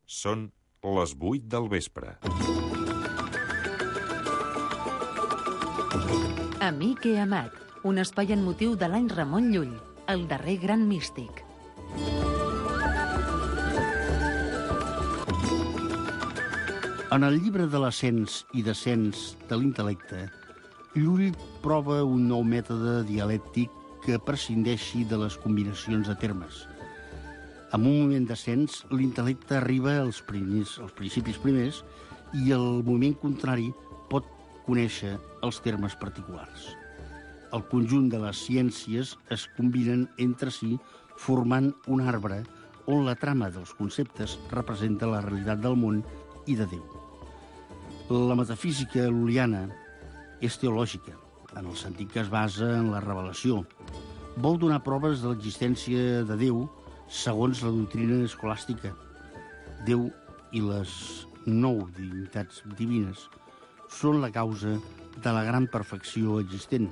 Són les 8 del vespre. Amic i amat, un espai en motiu de l'any Ramon Llull, el darrer gran místic. En el llibre de l'ascens i descens de l'intel·lecte, Llull prova un nou mètode dialèctic que prescindeixi de les combinacions de termes. En un moment d'ascens, l'intel·lecte arriba als principis primers i el moment contrari pot conèixer els termes particulars. El conjunt de les ciències es combinen entre si formant un arbre on la trama dels conceptes representa la realitat del món i de Déu. La metafísica lul·liana és teològica, en el sentit que es basa en la revelació. Vol donar proves de l'existència de Déu segons la doctrina escolàstica. Déu i les 9 divinitats divines són la causa de la gran perfecció existent,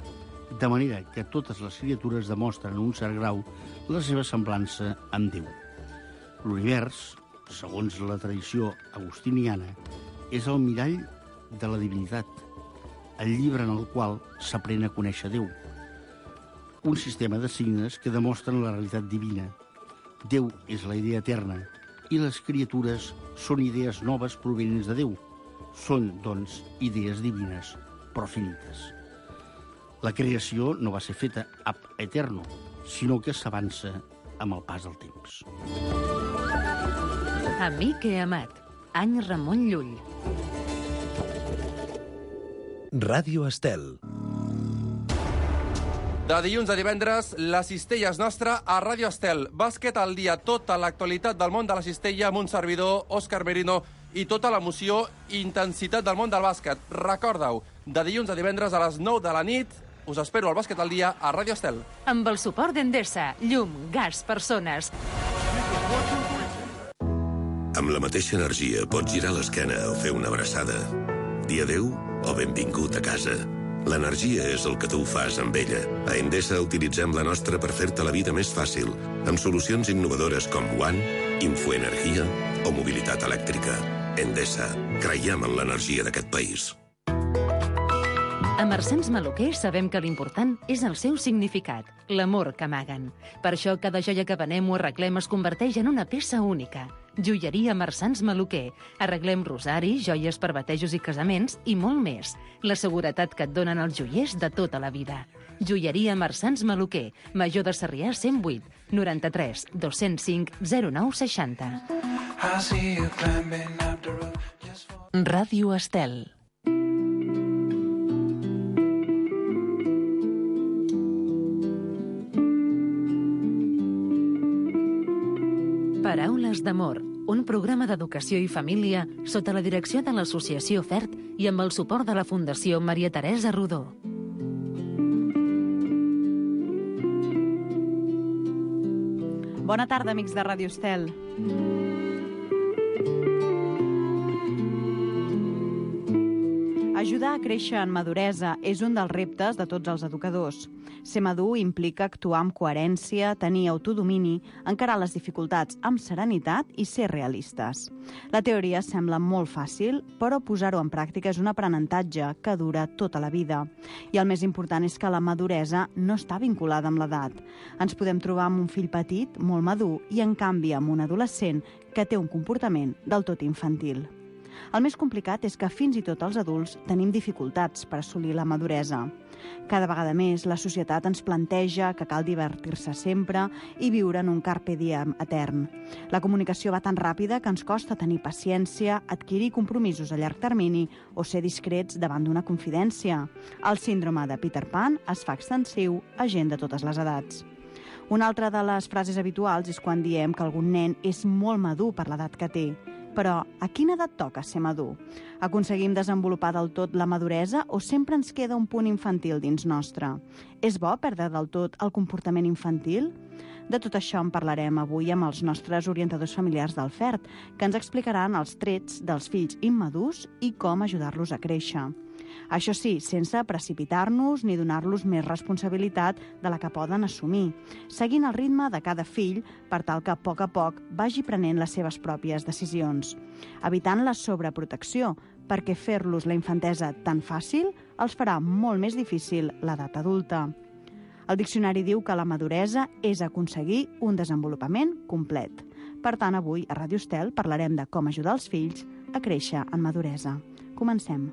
de manera que totes les criatures demostren en un cert grau la seva semblança amb Déu. L'univers, segons la tradició agustiniana, és el mirall de la divinitat, el llibre en el qual s'aprèn a conèixer Déu. Un sistema de signes que demostren la realitat divina. Déu és la idea eterna i les criatures són idees noves provenents de Déu. Són, doncs, idees divines, però finites. La creació no va ser feta ab eterno, sinó que s'avança amb el pas del temps. Amic i amat, any Ramon Llull. Ràdio Estel. De dilluns a divendres, la cistella és nostra a Ràdio Estel. Bàsquet al dia, tota l'actualitat del món de la cistella amb un servidor, Òscar Merino, i tota l'emoció i intensitat del món del bàsquet. Recorda-ho, de dilluns a divendres a les 9 de la nit, us espero al Bàsquet al dia a Ràdio Estel. Amb el suport d'Endesa, llum, gas, persones. Amb la mateixa energia pots girar l'esquena o fer una abraçada. Dir adéu o benvingut a casa. L'energia és el que tu fas amb ella. A Endesa utilitzem la nostra per fer-te la vida més fàcil, amb solucions innovadores com One, Infoenergia o mobilitat elèctrica. Endesa, creiem en l'energia d'aquest país. A Marsans Maluquer sabem que l'important és el seu significat, l'amor que amaguen. Per això cada joia que venem o arreglem es converteix en una peça única. Joieria Marsans Maluquer. Arreglem rosaris, joies per batejos i casaments i molt més. La seguretat que et donen els joiers de tota la vida. Joieria Marsans Maluquer. Major de Sarrià 108 93 205 0960. Ràdio Estel. Paraules d'amor, un programa d'educació i família sota la direcció de l'Associació FERT i amb el suport de la Fundació Maria Teresa Rodó. Bona tarda, amics de Ràdio Estel. Ajudar a créixer en maduresa és un dels reptes de tots els educadors. Ser madur implica actuar amb coherència, tenir autodomini, encarar les dificultats amb serenitat i ser realistes. La teoria sembla molt fàcil, però posar-ho en pràctica és un aprenentatge que dura tota la vida. I el més important és que la maduresa no està vinculada amb l'edat. Ens podem trobar amb un fill petit, molt madur, i en canvi amb un adolescent que té un comportament del tot infantil. El més complicat és que fins i tot els adults tenim dificultats per assolir la maduresa. Cada vegada més la societat ens planteja que cal divertir-se sempre i viure en un carpe diem etern. La comunicació va tan ràpida que ens costa tenir paciència, adquirir compromisos a llarg termini o ser discrets davant d'una confidència. El síndrome de Peter Pan es fa extensiu a gent de totes les edats. Una altra de les frases habituals és quan diem que algun nen és molt madur per l'edat que té. Però a quina edat toca ser madur? Aconseguim desenvolupar del tot la maduresa o sempre ens queda un punt infantil dins nostre? És bo perdre del tot el comportament infantil? De tot això en parlarem avui amb els nostres orientadors familiars del FERT, que ens explicaran els trets dels fills immadurs i com ajudar-los a créixer. Això sí, sense precipitar-nos ni donar-los més responsabilitat de la que poden assumir, seguint el ritme de cada fill per tal que a poc vagi prenent les seves pròpies decisions, evitant la sobreprotecció, perquè fer-los la infantesa tan fàcil els farà molt més difícil l'edat adulta. El diccionari diu que la maduresa és aconseguir un desenvolupament complet. Per tant, avui a Ràdio Estel parlarem de com ajudar els fills a créixer en maduresa. Comencem.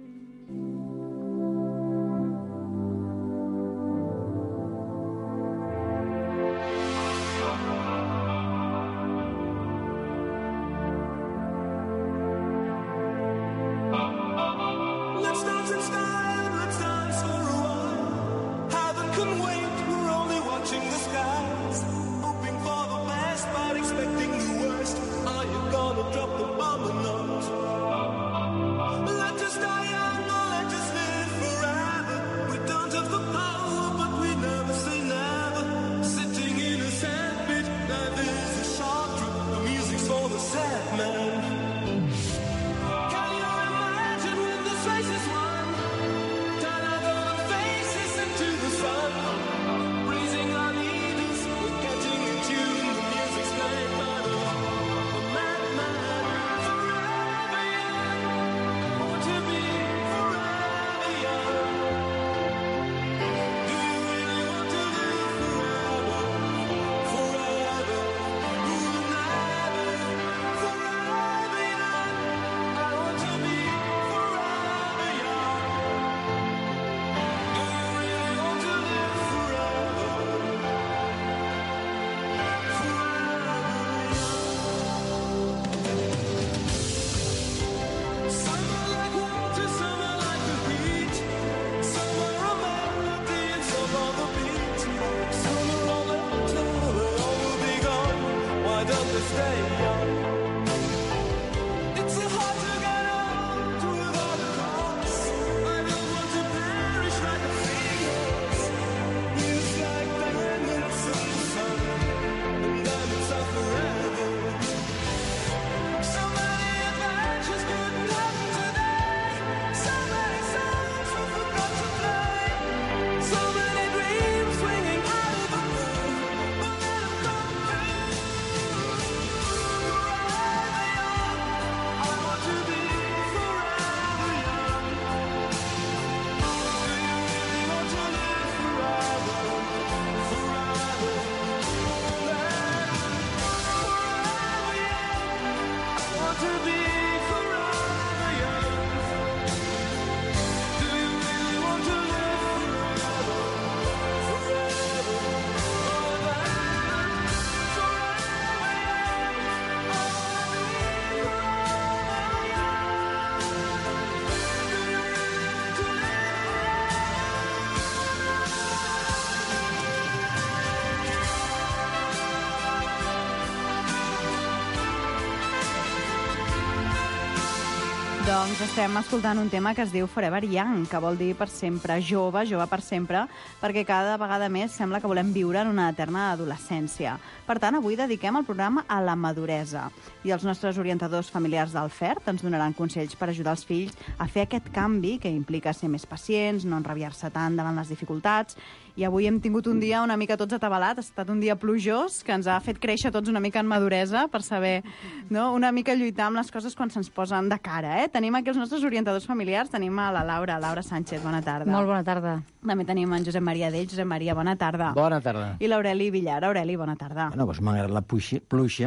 Doncs estem escoltant un tema que es diu Forever Young, que vol dir per sempre, jove per sempre, perquè cada vegada més sembla que volem viure en una eterna adolescència. Per tant, avui dediquem el programa a la maduresa. I els nostres orientadors familiars del FERT ens donaran consells per ajudar els fills a fer aquest canvi que implica ser més pacients, no enrabiar-se tant davant les dificultats. I avui hem tingut un dia una mica tots atabalat, ha estat un dia plujós, que ens ha fet créixer tots una mica en maduresa per saber, no?, una mica lluitar amb les coses quan se'ns posen de cara, eh? Tenim aquí els nostres orientadors familiars, tenim a la Laura Sánchez, bona tarda. Molt bona tarda. També tenim en Josep Maria Dell. Josep Maria, bona tarda. Bona tarda. I l'Aureli Villar. Aureli, bona tarda. Bueno, doncs m'agrada la pluja,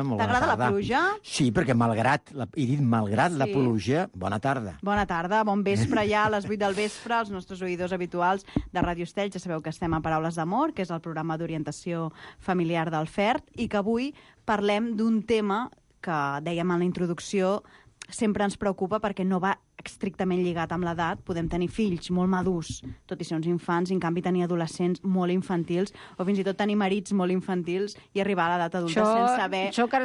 molt bona tarda. T'agrada la pluja? Sí, perquè malgrat la pluja, bona tarda. Bona tarda, bon vespre ja, a les 8 del vespre, els nostres oïdors habituals de Ràdio Estel. Ja sabeu que estem a Paraules d'Amor, que és el programa d'orientació familiar del FERT, i que avui parlem d'un tema que, dèiem en la introducció, sempre ens preocupa perquè no va estrictament lligat amb l'edat. Podem tenir fills molt madurs, tot i ser uns infants, i en canvi tenir adolescents molt infantils, o fins i tot tenir marits molt infantils i arribar a l'edat adulta sense saber... Això encara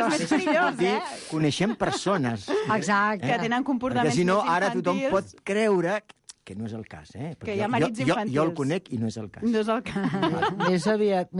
és més perillós, eh? Coneixem persones que tenen comportaments perquè si no, més infantils. ara tothom pot creure que no és el cas, eh? Que hi ha marits infantils. Jo el conec i no és el cas. No és el cas. Més aviat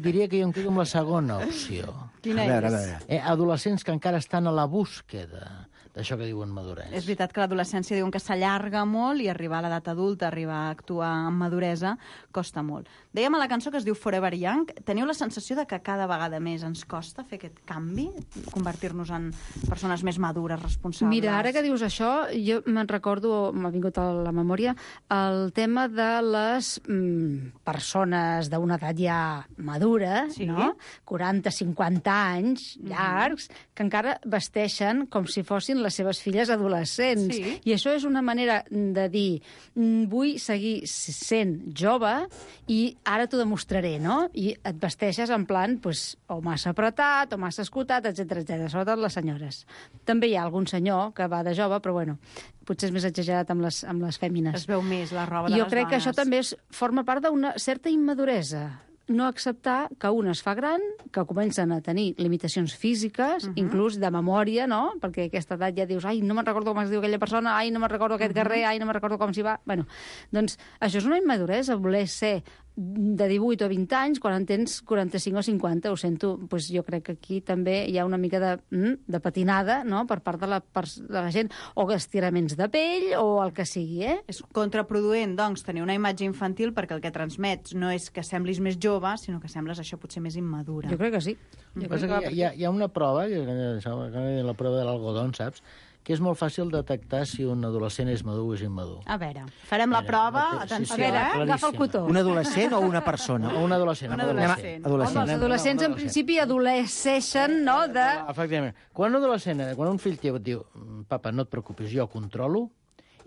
diria que jo em quedo amb la segona opció. Quina a veure. Adolescents que encara estan a la búsqueda d'això que diuen maduresa. És veritat que l'adolescència diuen que s'allarga molt i arribar a l'edat adulta, arribar a actuar amb maduresa, costa molt. Dèiem a la cançó que es diu Forever Young, teniu la sensació de que cada vegada més ens costa fer aquest canvi? Convertir-nos en persones més madures, responsables? Mira, ara que dius això, jo me'n recordo, m'ha vingut a la memòria, el tema de les persones d'una edat ja madura, Sí. no? 40-50 anys llargs, que encara vesteixen com si fossin les seves filles adolescents. Sí. I això és una manera de dir vull seguir sent jove i ara t'ho demostraré, no? I et vesteixes en plan, pues, o massa apretat, o massa escotat, etc etc. Sobretot les senyores. També hi ha algun senyor que va de jove, però bueno, potser és més exagerat amb les fèmines. Es veu més la roba de les dones. Jo crec que això també forma part d'una certa immaduresa. No acceptar que un es fa gran, que comencen a tenir limitacions físiques, inclús de memòria, no? Perquè a aquesta edat ja dius, ai, no me'n recordo com es diu aquella persona, ai, no me'n recordo aquest carrer, ai, no me'n recordo com s'hi va. Bueno, doncs això és una immaduresa, voler ser de 18 o 20 anys quan en tens 45 o 50, ho sento, doncs jo crec que aquí també hi ha una mica de patinada, no?, per part de la gent, o estiraments de pell, o el que sigui, És contraproduent, doncs, tenir una imatge infantil perquè el que transmets no és que semblis més jove, sinó que sembles això potser més immadura. Jo crec que sí. Hi ha una prova, la prova de l'algodón, saps?, que és molt fàcil detectar si un adolescent és madur o és immadur. A veure, farem la prova, atenció, agafa el cotó. Un adolescent o una persona? O un adolescent. Els adolescents, en principi, adolesceixen, no?, de... Efectivament. Quan un fill teu et diu, papa, no et preocupis, jo controlo,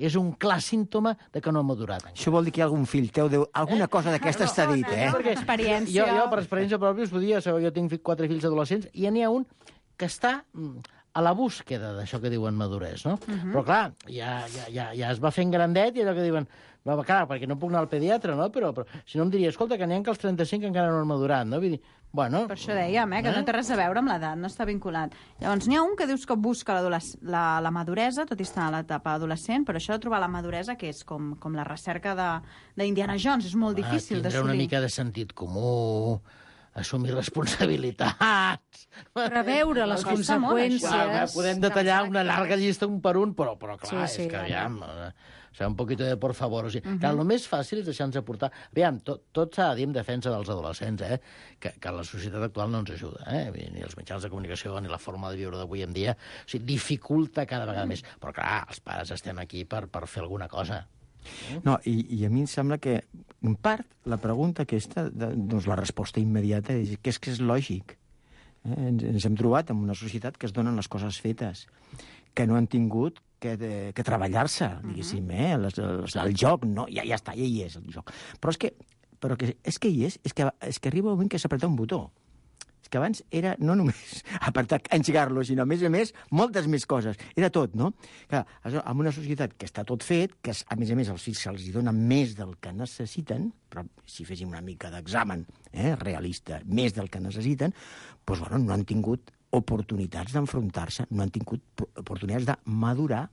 és un clar símptoma de que no ha madurat. Això vol dir que hi ha algun fill teu, alguna cosa d'aquestes t'ha dit, eh? Experiència. Jo, per experiència pròpia, us podia, jo tinc 4 fills adolescents, i n'hi ha un que està a la búsqueda d'això que diuen maduresa, no? Però, clar, ja es va fent grandet i allò que diuen... Clar, perquè no puc anar al pediatre, no? Però si no em diria, escolta, que n'hi ha que als 35 encara no han madurat, no? Vull dir, bueno... Per això dèiem, que no té res a veure amb l'edat, no està vinculat. Llavors, n'hi ha un que dius que busca la maduresa, tot i estar a l'etapa adolescent, però això de trobar la maduresa, que és com la recerca d'Indiana Jones, és molt difícil d'assolir. Tindrà una mica de sentit comú, assumir responsabilitats... Preveure les conseqüències... Podem detallar una llarga llista un per un, però clar, sí, és que aviam... O sigui, un poquito de por favor. O sigui, clar, el més fàcil és deixar-nos aportar... Aviam, tot s'ha de dir en defensa dels adolescents, que la societat actual no ens ajuda, ni els mitjans de comunicació ni la forma de viure d'avui en dia. O sigui, dificulta cada vegada més. Però clar, els pares estem aquí per fer alguna cosa. No, i a mi em sembla que, en part, la pregunta aquesta, doncs la resposta immediata és que és lògic. Ens hem trobat en una societat que es donen les coses fetes, que no han tingut que treballar-se, diguéssim, el joc, no, ja està, ja hi és el joc. Però és que hi és, és que arriba un moment que s'apreta un botó. És que abans era no només apretar, engegar-lo, sinó, a més, moltes més coses. Era tot, no? Clar, en una societat que està tot fet, que a més els fills se'ls dona més del que necessiten, però si féssim una mica d'examen realista, més del que necessiten, doncs, bueno, no han tingut oportunitats d'enfrontar-se, no han tingut oportunitats de madurar,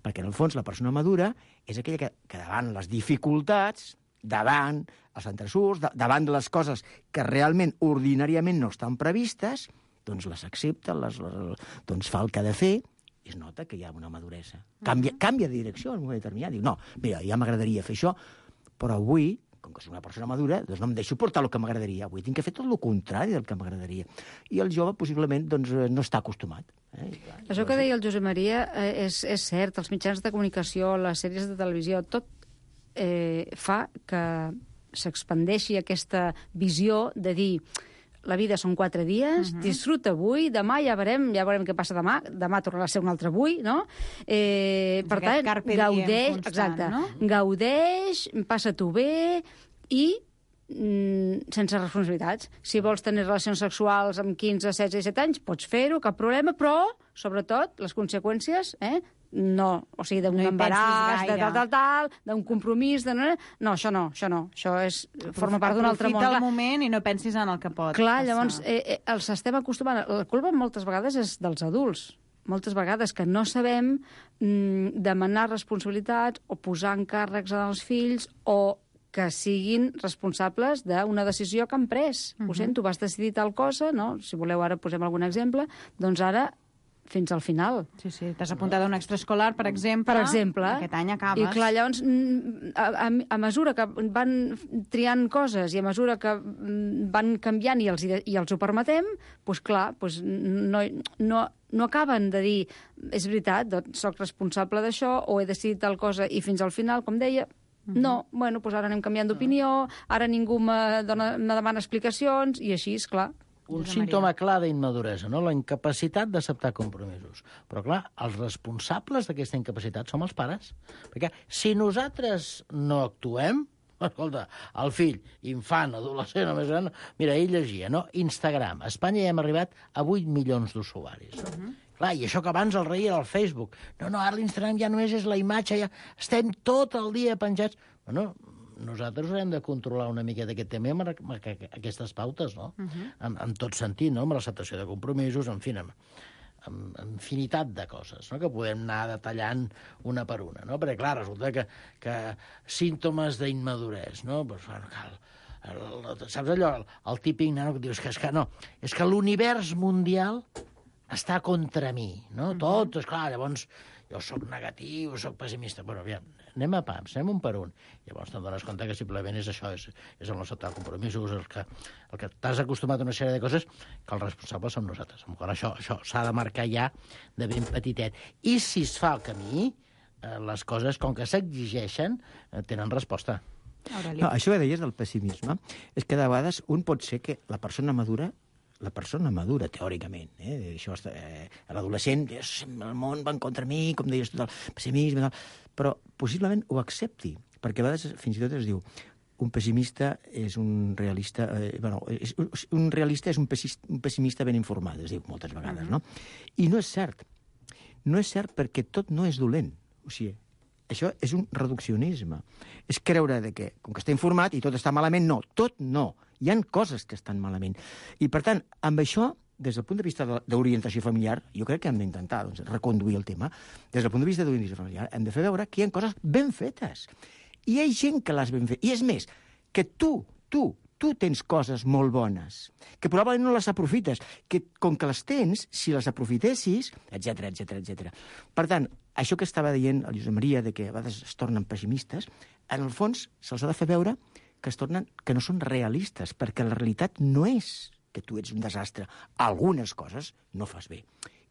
perquè en el fons la persona madura és aquella que davant les dificultats, davant els entresurs, davant de les coses que realment ordinàriament no estan previstes, doncs les accepta, doncs fa el que ha de fer, i es nota que hi ha una maduresa. Canvia de direcció en un moment determinat. Diu, no, mira, ja m'agradaria fer això, però avui, com que soc una persona madura, doncs no em deixo portar el que m'agradaria. Avui tinc que fer tot el contrari del que m'agradaria. I el jove, possiblement, doncs, no està acostumat. Això que deia el Josep Maria és cert. Els mitjans de comunicació, les sèries de televisió, tot fa que s'expandeixi aquesta visió de dir la vida són 4 dies, disfruta avui, demà ja veurem què passa demà tornarà a ser un altre avui, no? Per tant, gaudeix, exacte, gaudeix, passa-t'ho bé i sense responsabilitats. Si vols tenir relacions sexuals amb 15, 16 i 17 anys, pots fer-ho, cap problema, però, sobretot, les conseqüències, no, o sigui, d'un embaràs, de tal, d'un compromís, no, això no, això forma part d'un altre món. Aprofita el moment i no pensis en el que pot passar. Clar, llavors, els estem acostumant, la culpa moltes vegades és dels adults, moltes vegades que no sabem demanar responsabilitats o posar encàrrecs als fills o que siguin responsables d'una decisió que han pres. Ho sento, vas decidir tal cosa, no? Si voleu ara posem algun exemple, doncs ara fins al final. Sí, t'has apuntat a un extraescolar, per exemple. Per exemple. Aquest any acabes. I clar, llavors, a mesura que van triant coses i a mesura que van canviant i els ho permetem, doncs clar, doncs no acaben de dir és veritat, doncs soc responsable d'això o he decidit tal cosa i fins al final, com deia, no, bueno, doncs ara anem canviant d'opinió, ara ningú me demana explicacions i així, esclar. Un símptoma clar d'immaduresa, no? La incapacitat d'acceptar compromisos. Però, clar, els responsables d'aquesta incapacitat som els pares. Perquè si nosaltres no actuem, escolta, el fill, infant, adolescent o més gran, mira, ell llegia, no? Instagram. A Espanya ja hem arribat a 8 milions d'usuaris. Clar, i això que abans el rei era el Facebook. No, ara l'Instagram ja només és la imatge, ja estem tot el dia penjats. Bueno, nosaltres haurem de controlar una mica d'aquest tema amb aquestes pautes, no? En tot sentit, no? Amb l'acceptació de compromisos, en fi, amb infinitat de coses, no? Que podem anar detallant una per una, no? Perquè, clar, resulta que símptomes d'immaduresa, no? Pues, bueno, saps allò, el típic nano que dius que és que l'univers mundial està contra mi, no? Tot, esclar, llavors jo sóc negatiu, sóc pessimista. Bueno, aviam, anem a pams, anem un per un. Llavors te'n dones compte que simplement és això, és el no acceptar compromisos, el que t'has acostumat a una sèrie de coses que els responsables som nosaltres. Això s'ha de marcar ja de ben petitet. I si es fa el camí, les coses, com que s'exigeixen, tenen resposta. No, això que deies del pessimisme és que de vegades un pot ser que la persona madura, teòricament, això, l'adolescent, el món va en contra mi, com deies, tot el pessimisme, però possiblement ho accepti, perquè a vegades fins i tot es diu un pessimista és un realista... un realista és un pessimista ben informat, es diu moltes vegades, no? I no és cert. No és cert perquè tot no és dolent. O sigui, això és un reduccionisme. És creure que, com que està informat i tot està malament, no, tot no. Hi ha coses que estan malament. I, per tant, amb això, des del punt de vista d'orientació familiar, jo crec que hem d'intentar reconduir el tema, des del punt de vista d'orientació familiar, hem de fer veure que hi ha coses ben fetes. I hi ha gent que les ben fet. I és més, que tu tens coses molt bones, que probablement no les aprofites, que com que les tens, si les aprofitessis, etc. Per tant, això que estava dient el Josep Maria, de que a vegades es tornen pessimistes, en el fons se'ls ha de fer veure que no són realistes, perquè la realitat no és que tu ets un desastre. Algunes coses no fas bé.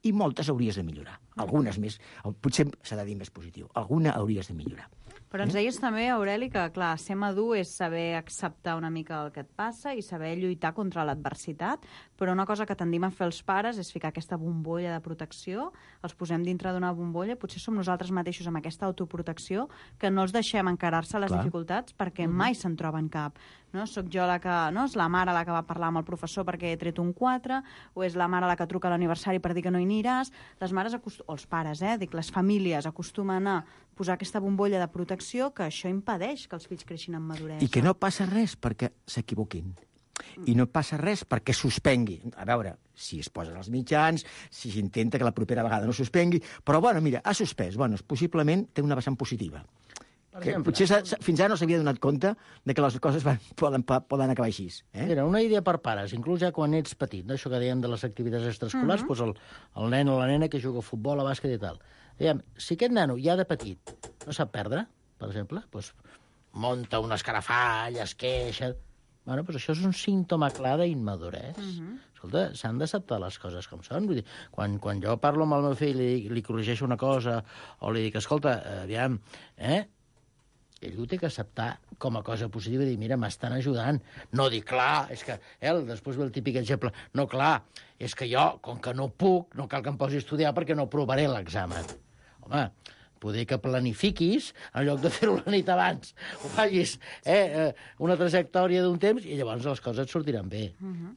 I moltes hauries de millorar. Algunes més. Potser s'ha de dir més positiu. Alguna hauries de millorar. Però ens deies també, Aureli, que, clar, ser madur és saber acceptar una mica el que et passa i saber lluitar contra l'adversitat, però una cosa que tendim a fer els pares és ficar aquesta bombolla de protecció, els posem dintre d'una bombolla, potser som nosaltres mateixos amb aquesta autoprotecció, que no els deixem encarar-se a les dificultats perquè mai se'n troben cap. No? Soc jo la que... No? És la mare la que va parlar amb el professor perquè he tret un 4, o és la mare la que truca a l'aniversari per dir que no hi aniràs. Les mares, o els pares, les famílies acostumen a posar aquesta bombolla de protecció que això impedeix que els fills creixin amb maduresa. I que no passa res perquè s'equivoquin. I no passa res perquè suspengui. A veure, si es posen els mitjans, si s'intenta que la propera vegada no suspengui, però, bueno, mira, ha suspès. Bueno, possiblement té una vessant positiva. Que potser fins ara no s'havia donat compte de que les coses poden acabar així. Mira, una idea per pares, inclús ja quan ets petit, no? Això que dèiem de les activitats extraescolars, doncs el nen o la nena que juga a futbol, a bàsquet i tal. Diguem, si aquest nano ja de petit no sap perdre, per exemple, doncs munta un escarafall, es queixa... Bueno, doncs això és un símptoma clar d'immaduresa. Escolta, s'han d'acceptar les coses com són. Vull dir, quan jo parlo amb el meu fill i li corregeixo una cosa, o li dic, escolta, aviam, ell ho té que acceptar com a cosa positiva i dir, mira, m'estan ajudant. No dir, clar, és que... després ve el típic exemple. No, clar, és que jo, com que no puc, no cal que em posi a estudiar perquè no provaré l'examen. Home, poder que planifiquis, en lloc de fer-ho la nit abans, ho facis una trajectòria d'un temps i llavors les coses et sortiran bé.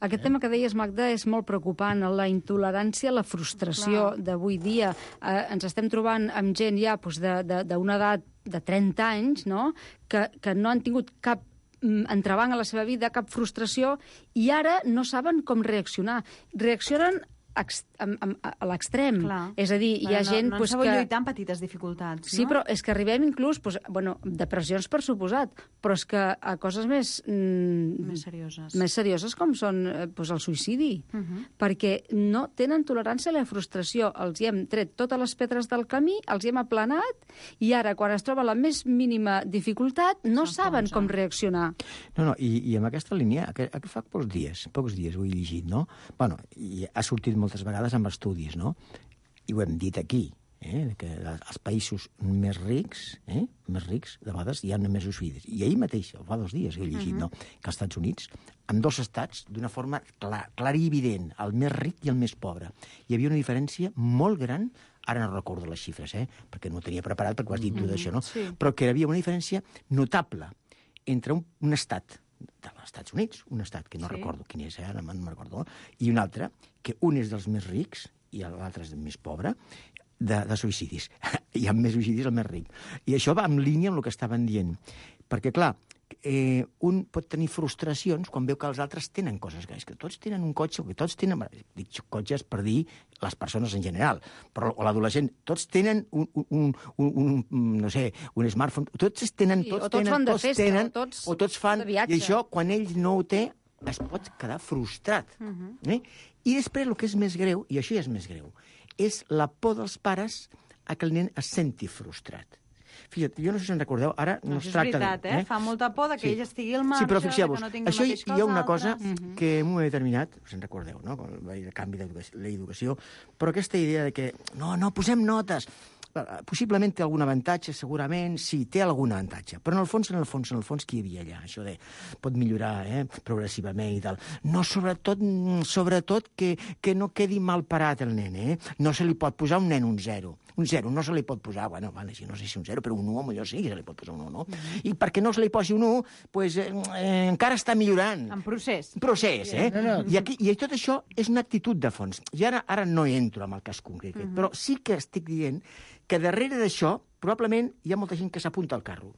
Aquest tema que deies, Magda, és molt preocupant. La intolerància, la frustració d'avui dia. Ens estem trobant amb gent ja d'una edat de 30 anys, no?, que no han tingut cap entrebanc a la seva vida, cap frustració, i ara no saben com reaccionar. Reaccionen a l'extrem. Clar. És a dir, hi ha gent... No pues, ens sabeu que... lluitar amb petites dificultats, Sí, no? però és que arribem inclús, pues, bueno, depressions per suposat, però és que a coses més... Més serioses. Més serioses com són pues, el suïcidi, perquè no tenen tolerància a la frustració. Els hi hem tret totes les pedres del camí, els hi hem aplanat, i ara, quan es troba la més mínima dificultat, no saben com reaccionar. No, i amb aquesta línia, que fa pocs dies ho he llegit, no? Bueno, i ha sortit moltes vegades amb estudis, no? I ho hem dit aquí, que els països més rics, de vegades hi ha més suïcidis. I ahir mateix, fa 2 dies, he llegit, no? Que als Estats Units, en 2 estats, d'una forma clara i evident, el més ric i el més pobre, hi havia una diferència molt gran, ara no recordo les xifres, perquè no ho tenia preparat, perquè ho has dit tu d'això, no? Sí. Però que hi havia una diferència notable entre un estat dels Estats Units, un estat que no recordo quin és, ara no me'n recordo, i un altre, que un és dels més rics i l'altre és del més pobre, de suïcidis. Hi ha més suïcidis el més ric. I això va en línia amb el que estaven dient. Perquè, clar, un pot tenir frustracions quan veu que els altres tenen coses. És que tots tenen un cotxe, que tots tenen... Dic cotxes per dir les persones en general, però o l'adolescent, tots tenen no sé, un smartphone, tots tenen... Sí, o tots fan de festa, o tots fan de viatge. I això, quan ell no ho té, es pot quedar frustrat. I després, el que és més greu, i això ja és més greu, és la por dels pares a que el nen es senti frustrat. Fixa't, jo no sé si en recordeu, ara no es tracta... És veritat, fa molta por que ell estigui al marge, sí, però fixeu-vos, que no tingui el això mateix que hi ha els una altres. cosa que en un moment determinat, us en recordeu, no? Quan va haver el canvi de l'educació, però aquesta idea de que no, posem notes, possiblement té algun avantatge, segurament, sí, té algun avantatge, però en el fons, què hi havia allà? Això de pot millorar progressivament i tal. No, sobretot que no quedi mal parat el nen, No se li pot posar un nen un 0. Un 0 no se li pot posar, bueno, no sé si un 0, però un 1 millor sí que se li pot posar un 1, no? I perquè no se li posi un 1, pues, encara està millorant. En procés. Procés, I tot això és una actitud de fons. I ara no entro en el cas concret, però sí que estic dient que darrere d'això probablement hi ha molta gent que s'apunta al carro.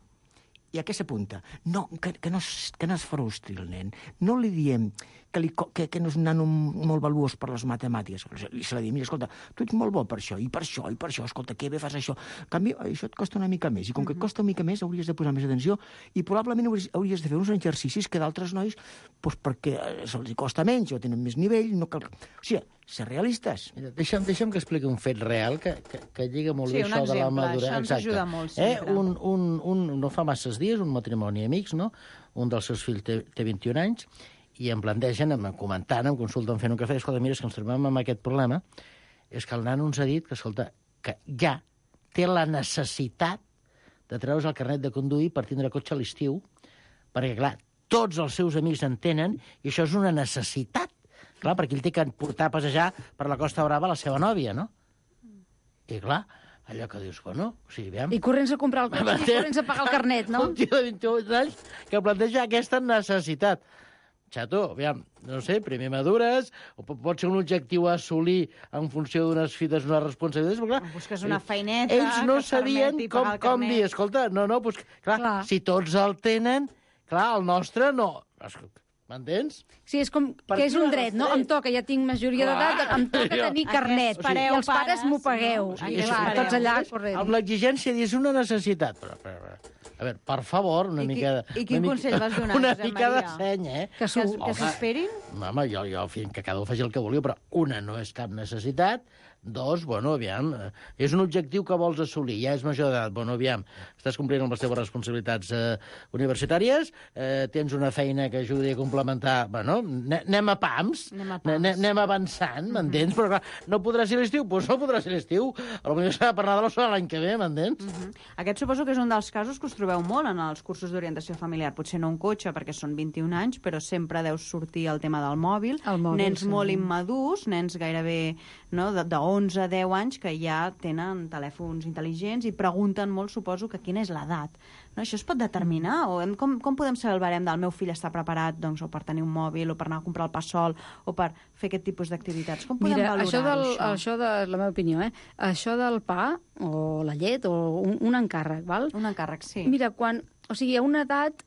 I a què s'apunta? No, que no es frustri el nen. No li diem que no és un nano molt valuós per les matemàtiques. Se li diem, mira, escolta, tu ets molt bo per això, i per això, escolta, que bé fas això. En canvi, això et costa una mica més, i com que et costa una mica més, hauries de posar més atenció, i probablement hauries de fer uns exercicis que d'altres nois, doncs perquè se'ls costa menys, o tenen més nivell, no cal... O sigui, ser realistes. Mira, deixa'm que expliqui un fet real que lliga molt bé això de la maduresa. Això ens ajuda molt, sempre. No fa masses dies, un matrimoni amics, no? Un dels seus fills té 21 anys, i em plantegen, comentant, em consulten fent un cafè, escolta, mira, és que ens trobem amb aquest problema, és que el nano ens ha dit que, escolta, que ja té la necessitat de treure's el carnet de conduir per tindre cotxe a l'estiu, perquè, clar, tots els seus amics en tenen, i això és una necessitat. Clar, perquè ell té que portar a passejar per la Costa Brava la seva nòvia, no? I, clar, allò que dius, bueno, o sigui, aviam... I corrents a comprar el cotxe i corrents a pagar el carnet, no? Un tio de 28 anys que planteja aquesta necessitat. Xato, aviam, no sé, primer madures, o pot ser un objectiu a assolir en funció d'unes fites, unes responsabilitats, però clar... Busques una feineta ells no que sabien permeti pagar el com carnet. dir, escolta, no, doncs, clar, si tots el tenen, clar, el nostre no... M'entens? Sí, és com que és un dret, no? Em toca, ja tinc majoria d'edat, em toca tenir carnet. I els pares m'ho pagueu. I clar, tots allà corrent. Amb l'exigència és una necessitat. Però, a veure, per favor, una mica... I quin consell vas donar, una Josep mica de Maria? seny, Que s'esperin? Home, jo, que cada un faci el que vulgui, però una no és cap necessitat, 2, bueno, aviam, és un objectiu que vols assolir, ja és major d'edat, bueno, aviam, estàs complint amb les teves responsabilitats universitàries, tens una feina que ajudi a complementar, bueno, anem a pams, anem avançant, m'entens? Però clar, no podrà ser l'estiu? Doncs no podrà ser l'estiu, potser s'ha de parlar de l'any que ve, m'entens? Aquest suposo que és un dels casos que us trobeu molt en els cursos d'orientació familiar, potser no un cotxe perquè són 21 anys, però sempre deus sortir el tema del mòbil, nens molt immadurs, nens gairebé de 11 a 10 anys que ja tenen telèfons intel·ligents i pregunten molt, suposo, que quina és l'edat. No, això es pot determinar? O com podem saber el barem del meu fill està preparat doncs, o per tenir un mòbil, o per anar a comprar el pa sol, o per fer aquest tipus d'activitats? Com podem valorar això? Això de la meva opinió, això del pa, o la llet, o un encàrrec, val? Un encàrrec, sí. Mira, o sigui, a una edat...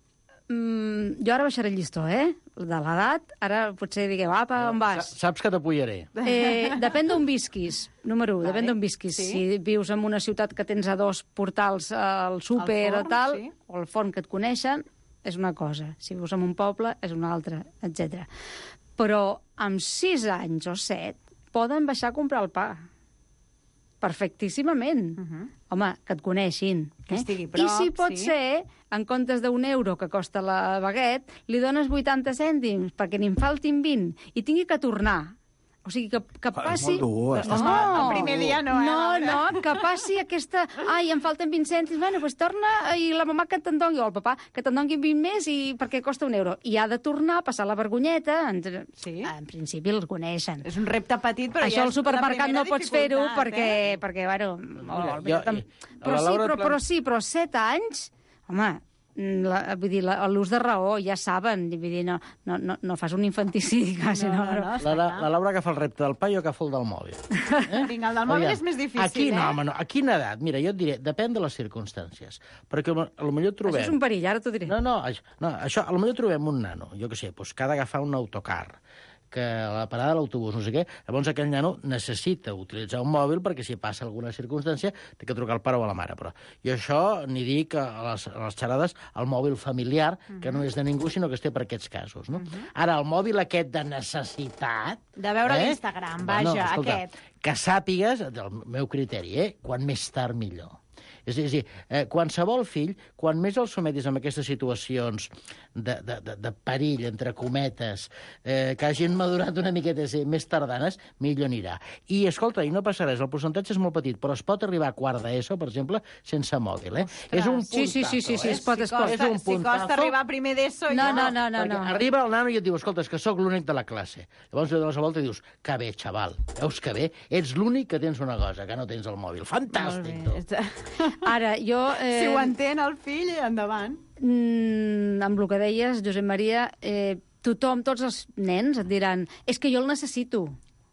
jo ara baixaré el llistó, de l'edat, ara potser digueu, apa, on vas? Saps que t'apoyaré. Depèn d'on visquis, número 1, depèn d'on visquis. Sí. Si vius en una ciutat que tens a 2 portals al súper Al forn, o tal, sí. o al forn que et coneixen, és una cosa. Si vius en un poble, és una altra, etc. Però amb 6 anys o 7 poden baixar a comprar el pa. Perfectíssimament. Home, que et coneixin. Que estigui prop, I si pot sí. ser, en comptes d'1 € que costa la baguette, li dones 80 cèntims perquè n'hi faltin 20 i tingui que tornar. O sigui, que passi... És molt dur, estàs No, el primer dia no, no, que passi aquesta... Ai, em falten 20 cèntims, bueno, doncs torna i la mamà que te'n doni, o el papà que te'n doni 20 més i perquè costa 1 €. I ha de tornar a passar la vergonyeta. Sí. En principi els coneixen. És un repte petit, però Això ja al és supermercat la no pots fer-ho primera perquè, bueno... Mira, Però sí, però 7 anys... Home, vull dir, l'ús de raó, ja saben, vull dir, no fas un infanticidi, quasi, no. La Laura agafa el repte del pa i jo agafo el del mòbil. Vinga, el del mòbil és més difícil, Aquí no, home, no. A quina edat? Mira, jo et diré, depèn de les circumstàncies. Perquè potser trobem... Això és un perill, ara t'ho diré. No, això, potser trobem un nano, jo què sé, doncs, que ha d'agafar un autocar, que a la parada de l'autobús, no sé què, llavors aquell nano necessita utilitzar un mòbil perquè si passa alguna circumstància té que trucar al pare o a la mare. Però jo això ni dic a les xerrades el mòbil familiar, que no és de ningú, sinó que es té per aquests casos. No? Ara, el mòbil aquest de necessitat... De veure l'Instagram, vaja, escolta, aquest. Que sàpigues, del meu criteri, quan més tard millor. És a dir, qualsevol fill, quan més el sometis en aquestes situacions de perill, entre cometes, que hagin madurat una miqueta més tardanes, millor anirà. I, escolta, i no passa res, el percentatge és molt petit, però es pot arribar a quart d'ESO, per exemple, sense mòbil, És un puntazo, Sí, es pot. Si costa arribar a primer d'ESO... No. Perquè arriba el nano i et diu, escolta, és que sóc l'únic de la classe. Llavors li dones la volta i dius, que bé, xaval, veus que bé? Ets l'únic que tens una cosa, que no tens el mòbil. Fantàstic, tu. Ara, jo... Si ho entén el fill, endavant. Amb el que deies, Josep Maria, tothom, tots els nens et diran és que jo el necessito.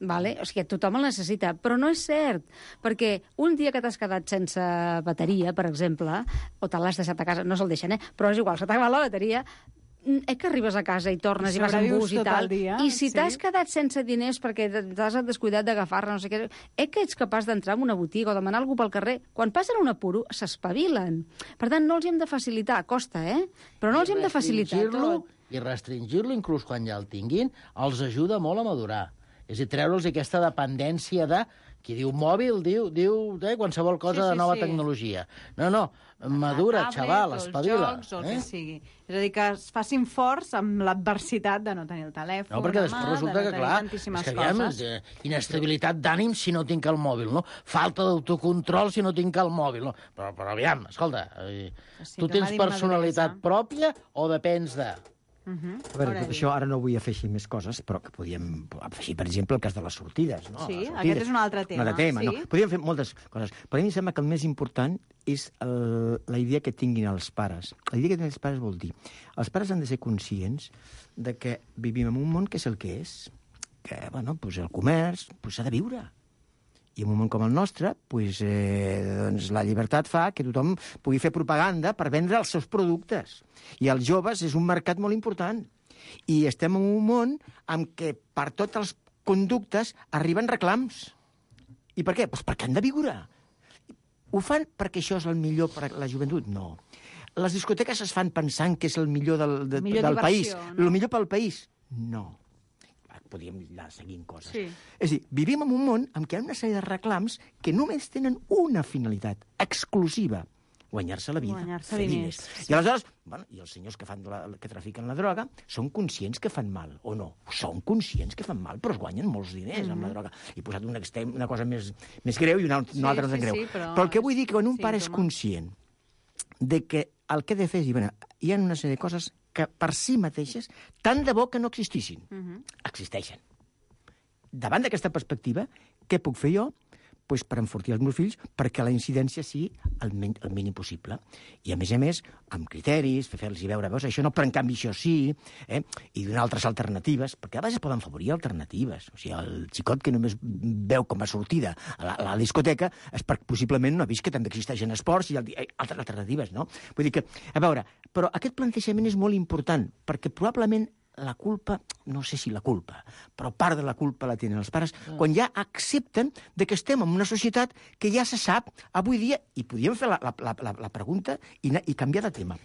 Vale? O sigui, tothom el necessita, però no és cert, perquè un dia que t'has quedat sense bateria, per exemple, o te l'has deixat a casa, no se'l deixen, però és igual, se t'ha acabat la bateria, que arribes a casa i tornes i vas en bus i tal, i si t'has quedat sense diners perquè t'has descuidat d'agafar-la, no sé què, que ets capaç d'entrar en una botiga o demanar algú pel carrer, quan passen un apuro, s'espavilen. Per tant, no els hem de facilitar, costa, però no els hem de facilitar tot. I restringir-lo, inclús quan ja el tinguin, els ajuda molt a madurar. És a dir, treure'ls aquesta dependència de... Qui diu mòbil, diu qualsevol cosa de nova tecnologia. No, madura, xaval, espavila. Els jocs, o el que sigui. És a dir, que es facin forts amb l'adversitat de no tenir el telèfon, no, perquè després resulta que, clar, tantíssimes coses. Inestabilitat d'ànim si no tinc el mòbil, no? Falta d'autocontrol si no tinc el mòbil, no? Però aviam, escolta, tu tens personalitat pròpia o depens de... A veure, tot això ara no vull afegir més coses, però que podíem afegir, per exemple, el cas de les sortides. No? Sí, sortides. aquest és un altre tema. No? Podríem fer moltes coses. Però a mi em sembla que el més important és la idea que tinguin els pares. La idea que tinguin els pares vol dir... Els pares han de ser conscients de que vivim en un món que és el que és, que el comerç s'ha de viure. I en un món com el nostre, doncs la llibertat fa que tothom pugui fer propaganda per vendre els seus productes. I els joves és un mercat molt important. I estem en un món en què per tots els conductes arriben reclams. I per què? Doncs perquè han de viure. Ho fan perquè això és el millor per a la joventut? No. Les discoteques es fan pensant que és el millor del país. El millor pel país? No. Podríem anar seguint coses. Sí. És a dir, vivim en un món en què hi ha una sèrie de reclams que només tenen una finalitat exclusiva, guanyar-se la vida, fer diners. Sí. I aleshores, i els senyors que trafiquen la droga són conscients que fan mal, o no? Són conscients que fan mal, però es guanyen molts diners amb la droga. He posat un extrem, una cosa més greu i una altra més greu. Però el que vull dir que quan un pare és conscient de que el que ha de fer és dir, hi ha una sèrie de coses que per si mateixes, tant de bo que no existissin. Existeixen. Davant d'aquesta perspectiva, què puc fer jo? Pues per enfortir els meus fills, perquè la incidència sigui el mínim possible. I, a més, amb criteris, fer-los veure, veus, això no, però en canvi això sí, i donar altres alternatives, perquè a vegades poden favorir alternatives. O sigui, el xicot que només veu com a sortida a la discoteca és perquè possiblement no ha vist que també existeixen esports i altres alternatives, no? Vull dir que, a veure, però aquest plantejament és molt important, perquè probablement la culpa, no sé si la culpa, però part de la culpa la tenen els pares, quan ja accepten de que estem en una societat que ja se sap avui dia, i podríem fer la pregunta i canviar de tema,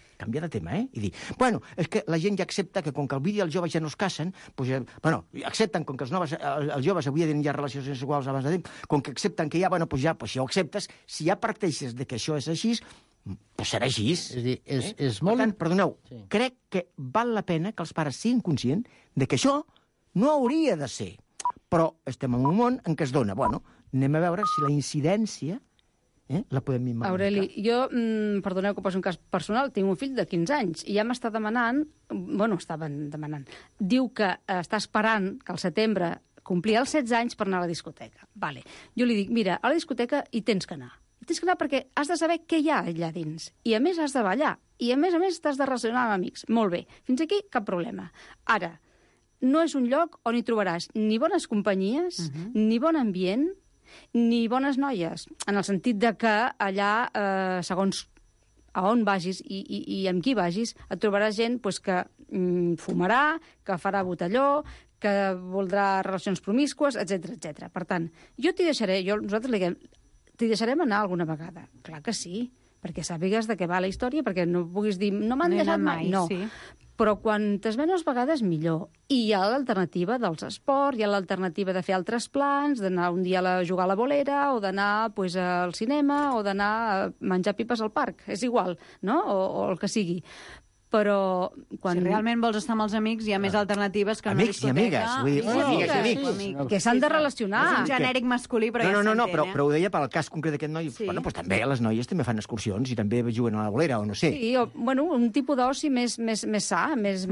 i dir, bueno, és que la gent ja accepta que com que avui dia els joves ja no es casen, accepten com que els joves avui dia ja relacions sexuals abans de temps, com que accepten que ja, si ho acceptes, si ja parteixes de que això és així, pues serà així. És a dir, és molt... Per tant, perdoneu, crec que val la pena que els pares siguin conscients de que això no hauria de ser. Però estem en un món en què es dona. Bueno, anem a veure si la incidència la podem imaginar. Aureli, jo, perdoneu que poso un cas personal, tinc un fill de 15 anys i ja m'està demanant, diu que està esperant que al setembre complir els 16 anys per anar a la discoteca. Vale. Jo li dic, mira, a la discoteca hi tens que anar. Hi tens que anar perquè has de saber què hi ha allà dins. I a més has de ballar. I a més t'has de relacionar amb amics. Molt bé. Fins aquí cap problema. Ara, no és un lloc on hi trobaràs ni bones companyies, ni bon ambient, ni bones noies. En el sentit de que allà, segons a on vagis i amb qui vagis, et trobaràs gent que fumarà, que farà botelló, que voldrà relacions promíscues, etc. Per tant, nosaltres li diem, t'hi deixarem anar alguna vegada. Clar que sí, perquè sàpigues de què va la història, perquè no puguis dir, no m'han deixat mai. No. Sí. Però quantes menys vegades millor. I hi ha l'alternativa dels esports, hi ha l'alternativa de fer altres plans, d'anar un dia a jugar a la bolera, o d'anar al cinema, o d'anar a menjar pipes al parc. És igual, no? O el que sigui. Però quan... Si realment vols estar amb els amics, hi ha més alternatives que una discoteca. Amics i amigues. Que s'han de relacionar. És un genèric masculí, però ja s'entén. No, però ho deia pel cas concret d'aquest noi. Bueno, doncs també les noies també fan excursions i també juguen a la bolera, o no sé. Sí, un tipus d'oci més sa, més...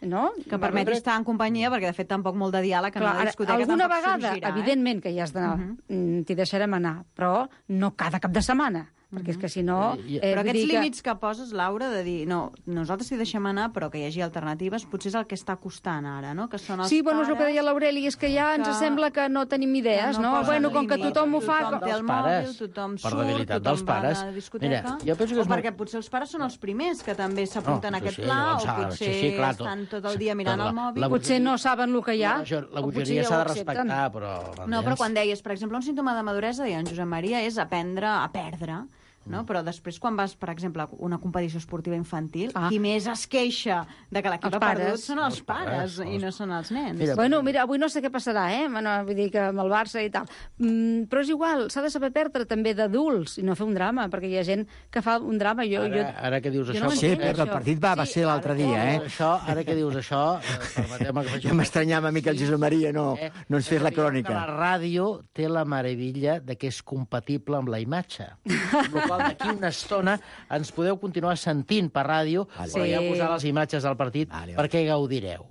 no? Que permeti estar en companyia, perquè de fet tampoc molt de diàleg en la discoteca alguna tampoc vegada, sorgirà. Evidentment que hi has d'anar, t'hi deixarem anar, però no cada cap de setmana. Perquè és que si no... Però aquests límits que poses, Laura, de dir, no, nosaltres hi deixem anar, però que hi hagi alternatives, potser és el que està costant ara, no? Que són els sí, bueno, és el que deia l'Aureli, és que ja ens sembla que no tenim idees, no? Bueno, com que tothom ho fa... Tothom té el mòbil, tothom surt, tothom va a la discoteca... O perquè potser els pares són els primers que també s'apunten a aquest pla, o potser estan tot el dia mirant el mòbil... Potser no saben el que hi ha. La bogeria s'ha de respectar, però... No, però quan deies, per exemple, un símptoma de maduresa, deia en Josep Maria, és aprendre a perdre. No? Però després, quan vas, per exemple, a una competició esportiva infantil, qui més es queixa de que l'equip ha perdut són els pares i no són els nens. Mira, avui no sé què passarà, vull dir que amb el Barça i tal. Però és igual, s'ha de saber perdre també d'adults i no fer un drama, perquè hi ha gent que fa un drama. Ara que dius això... Sí, perdre el partit va ser l'altre dia, Ara que dius això... Jo m'estranyava a mi que el Josep Maria no ens fes la crònica. La ràdio té la meravella de que és compatible amb la imatge. D'aquí una estona ens podeu continuar sentint per ràdio, però ja posar les imatges del partit perquè gaudireu.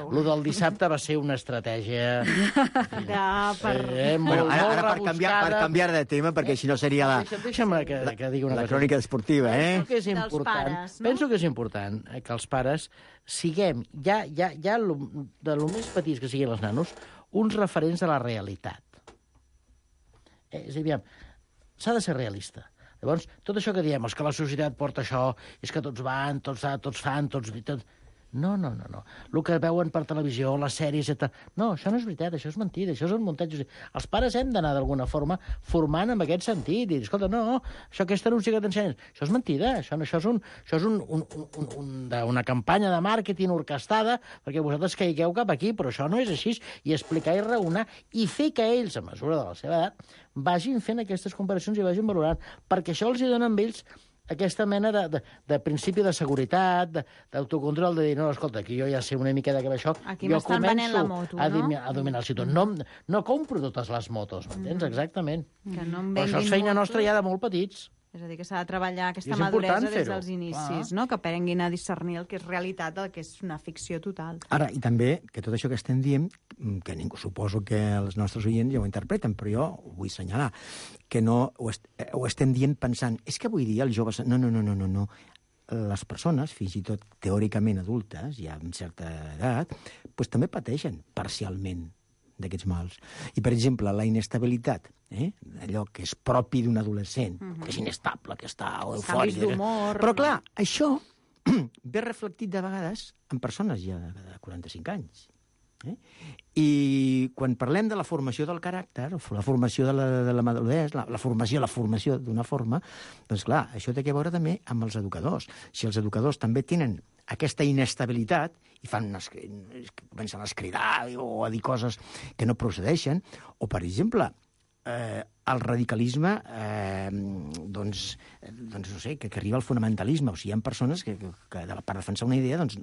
Lo del dissabte va ser una estratègia ara per canviar de tema, perquè si no seria que digui una la crònica esportiva. Penso que és important que els pares siguem, ja de lo més petits que siguin els nanos, uns referents de la realitat. És a dir, s'ha de ser realista. Llavors, tot això que diem, és que la societat porta això, és que tots van, tots fan, tots... No. El que veuen per televisió, les sèries... No, això no és veritat, això és mentida, això és un muntatge. Els pares hem d'anar d'alguna forma formant en aquest sentit. I dir, escolta, no, això aquest anunci que t'ensenyen, això és mentida, això és una campanya de màrqueting orquestada perquè vosaltres caigueu cap aquí, però això no és així. I explicar i raonar i fer que ells, a mesura de la seva edat, vagin fent aquestes comparacions i vagin valorant, perquè això els hi dona amb ells aquesta mena de principi de seguretat, d'autocontrol, de dir, no, escolta, aquí jo ja sé una mica de què va això, aquí jo començo a dominar el ciutadà. No compro totes les motos, m'entens? Exactament. Però això és feina nostra ja de molt petits. És a dir, que s'ha de treballar aquesta maduresa des dels inicis, no? Que aprenguin a discernir el que és realitat, el que és una ficció total. Ara, i també, que tot això que estem dient, que ningú suposo que els nostres oients ja ho interpreten, però jo ho vull assenyalar, que no ho estem dient pensant, és que avui dia els joves... No. Les persones, fins i tot teòricament adultes, ja amb certa edat, doncs també pateixen parcialment d'aquests mals. I, per exemple, la inestabilitat, allò que és propi d'un adolescent, que és inestable, que està eufòric... Canvis d'humor... Però, clar, això ve reflectit de vegades en persones ja de 45 anys. I quan parlem de la formació del caràcter, la formació de la maduresa, la formació d'una forma, doncs clar, això té a veure també amb els educadors. Si els educadors també tenen aquesta inestabilitat i comencen a cridar o a dir coses que no procedeixen, o, per exemple, el radicalisme, doncs no sé, que arriba al fonamentalisme. O sigui, hi ha persones que per defensar una idea, doncs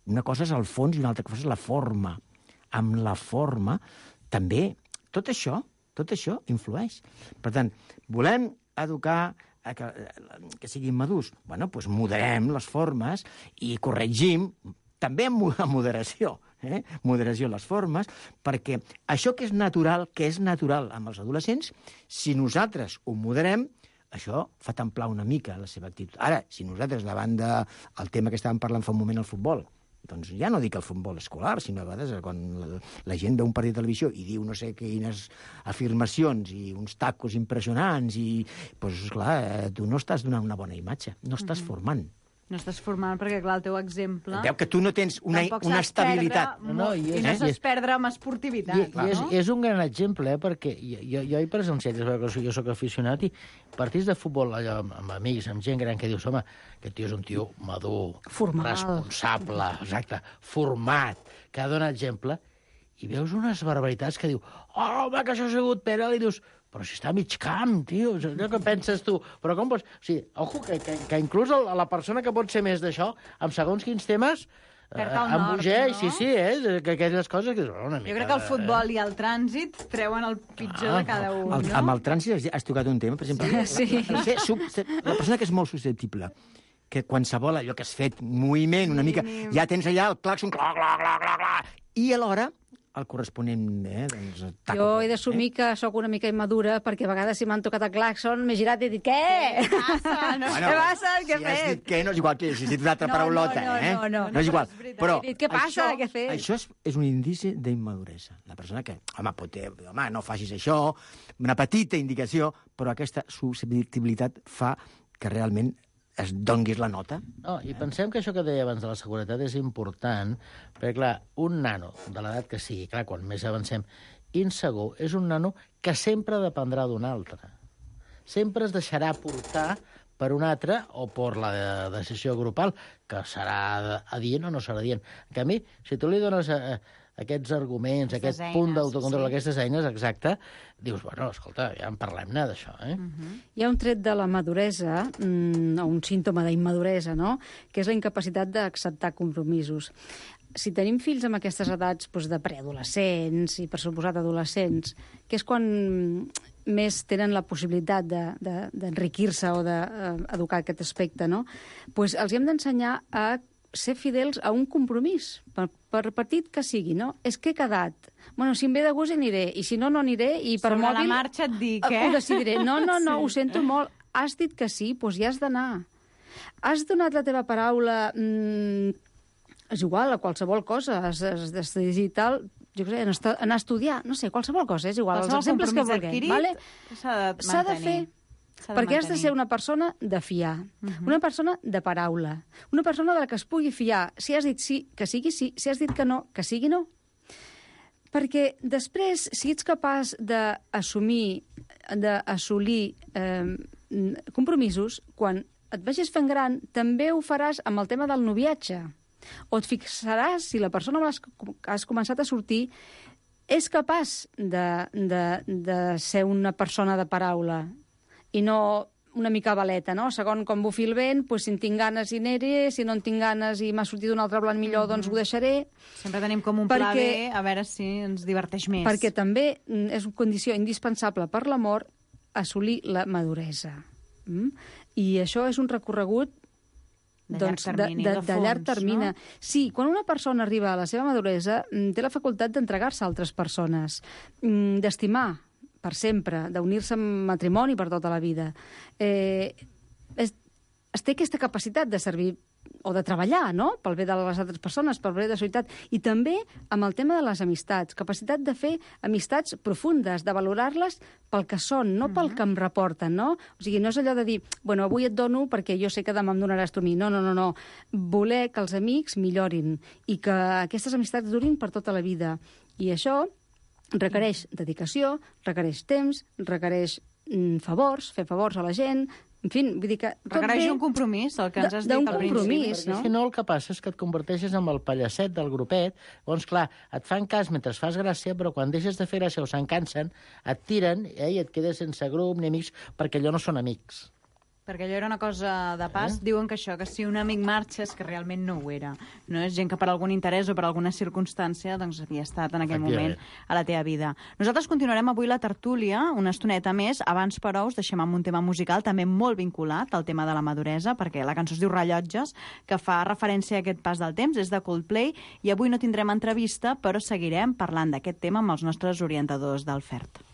una cosa és el fons i una altra cosa és la forma. Amb la forma, també, tot això influeix. Per tant, volem educar que siguin madurs. Bueno, doncs moderem les formes i corregim, també amb moderació, moderació en les formes, perquè això que és natural amb els adolescents, si nosaltres ho moderem, això fa templar una mica la seva actitud. Ara, si nosaltres, davant del tema que estàvem parlant fa un moment, el futbol, doncs ja no dic el futbol escolar, sinó a vegades quan la gent veu un partit de televisió i diu no sé quines afirmacions i uns tacos impressionants i, doncs, clar, tu no estàs donant una bona imatge, no estàs formant. No estàs formant perquè, clar, el teu exemple... Veu que tu no tens una estabilitat. I no saps perdre amb esportivitat. És un gran exemple, perquè jo he presenciat, jo soc aficionat, i partits de futbol allò, amb amics, amb gent gran, que dius, home, aquest tio és un tio madur, responsable, exacte, format, que ha donat exemple, i veus unes barbaritats que diu, home, que això ha sigut penal, i dius... Però si està a mig camp, tio, allò que penses tu. Però com pots... O sigui, ojo, que inclús la persona que pot ser més d'això, amb segons quins temes, embogeix, no? Sí, que aquelles coses... Que, una mica... Jo crec que el futbol i el trànsit treuen el pitjor de cada un, no? Amb el trànsit has tocat un tema, per exemple... Sí. La persona que és molt susceptible, que qualsevol allò que has fet, moviment, una mica, ja tens allà el clàxon, i alhora... el corresponent... doncs, jo he d'assumir que sóc una mica immadura, perquè a vegades si m'han tocat el claxon m'he girat i he dit, què? Què passa? Què passa? Què he fet? Si has dit què, no és igual que si has dit una altra paraulota, No és igual. Però he dit, què passa? Què he fet? Això és un indici d'immaduresa. La persona que, home, no facis això, una petita indicació, però aquesta susceptibilitat fa que realment es donguis la nota. No, i pensem que això que deia abans de la seguretat és important, perquè, clar, un nano, de l'edat que sigui, clar, quan més avancem, insegur, és un nano que sempre dependrà d'un altre. Sempre es deixarà portar per un altre o per la decisió grupal, que serà adient o no serà adient. En canvi, si tu li dones aquests arguments, aquest punt d'autocontrol, aquestes eines, exacte, dius, bueno, escolta, ja en parlem-ne d'això, Hi ha un tret de la maduresa, o un símptoma d'immaduresa, no?, que és la incapacitat d'acceptar compromisos. Si tenim fills amb aquestes edats de preadolescents i, per suposat, adolescents, que és quan més tenen la possibilitat d'enriquir-se o d'educar aquest aspecte, no?, doncs els hem d'ensenyar a ser fidels a un compromís, per petit que sigui, no? És que he quedat. Bueno, si em ve de gust aniré, i si no, no aniré, i per sobre mòbil... Sobre la marxa et dic, ho decidiré. No, ho sento molt. Has dit que sí, doncs ja has d'anar. Has donat la teva paraula... és igual, a qualsevol cosa. Has d'estudiar i tal, jo què sé, anar a estudiar, no sé, qualsevol cosa, és igual. Els exemples que vulguem. S'ha de fer. Perquè has de ser una persona de fiar, una persona de paraula, una persona de la que es pugui fiar. Si has dit sí, que sigui sí. Si has dit que no, que sigui no. Perquè després, si ets capaç d'assolir compromisos, quan et vagis fent gran, també ho faràs amb el tema del noviatge. O et fixaràs si la persona amb la que has començat a sortir és capaç de ser una persona de paraula, i no una mica baleta, no? Segons com bufi el vent, doncs, si en tinc ganes hi aniré, si no en tinc ganes i m'ha sortit un altre blanc millor, doncs ho deixaré. Sempre tenim com un pla B, a veure si ens diverteix més. Perquè també és una condició indispensable per l'amor assolir la maduresa. I això és un recorregut de llarg termini. No? Sí, quan una persona arriba a la seva maduresa, té la facultat d'entregar-se a altres persones, d'estimar per sempre, d'unir-se en matrimoni per tota la vida. Es té aquesta capacitat de servir o de treballar, no?, pel bé de les altres persones, pel bé de la societat, i també amb el tema de les amistats, capacitat de fer amistats profundes, de valorar-les pel que són, no pel que em reporten, no? O sigui, no és allò de dir, bueno, avui et dono perquè jo sé que demà em donaràs tu a mi. No. Voler que els amics millorin i que aquestes amistats durin per tota la vida. I això requereix dedicació, requereix temps, requereix favors, fer favors a la gent. En fi, vull dir que... Requereix un compromís, el que ens has dit al principi. D'un compromís, no? Si no, el que passa és que et converteixes en el pallacet del grupet, llavors, clar, et fan cas mentre fas gràcia, però quan deixes de fer gràcia o se'n cansen, et tiren i et quedes sense grup ni amics, perquè allò no són amics. Perquè allò era una cosa de pas. Diuen que això, que si un amic marxa és que realment no ho era. No és gent que per algun interès o per alguna circumstància doncs havia estat en aquell moment a la teva vida. Nosaltres continuarem avui la tertúlia una estoneta més. Abans, però, us deixem amb un tema musical també molt vinculat al tema de la maduresa, perquè la cançó es diu Rellotges, que fa referència a aquest pas del temps, és de Coldplay, i avui no tindrem entrevista, però seguirem parlant d'aquest tema amb els nostres orientadors del FERT.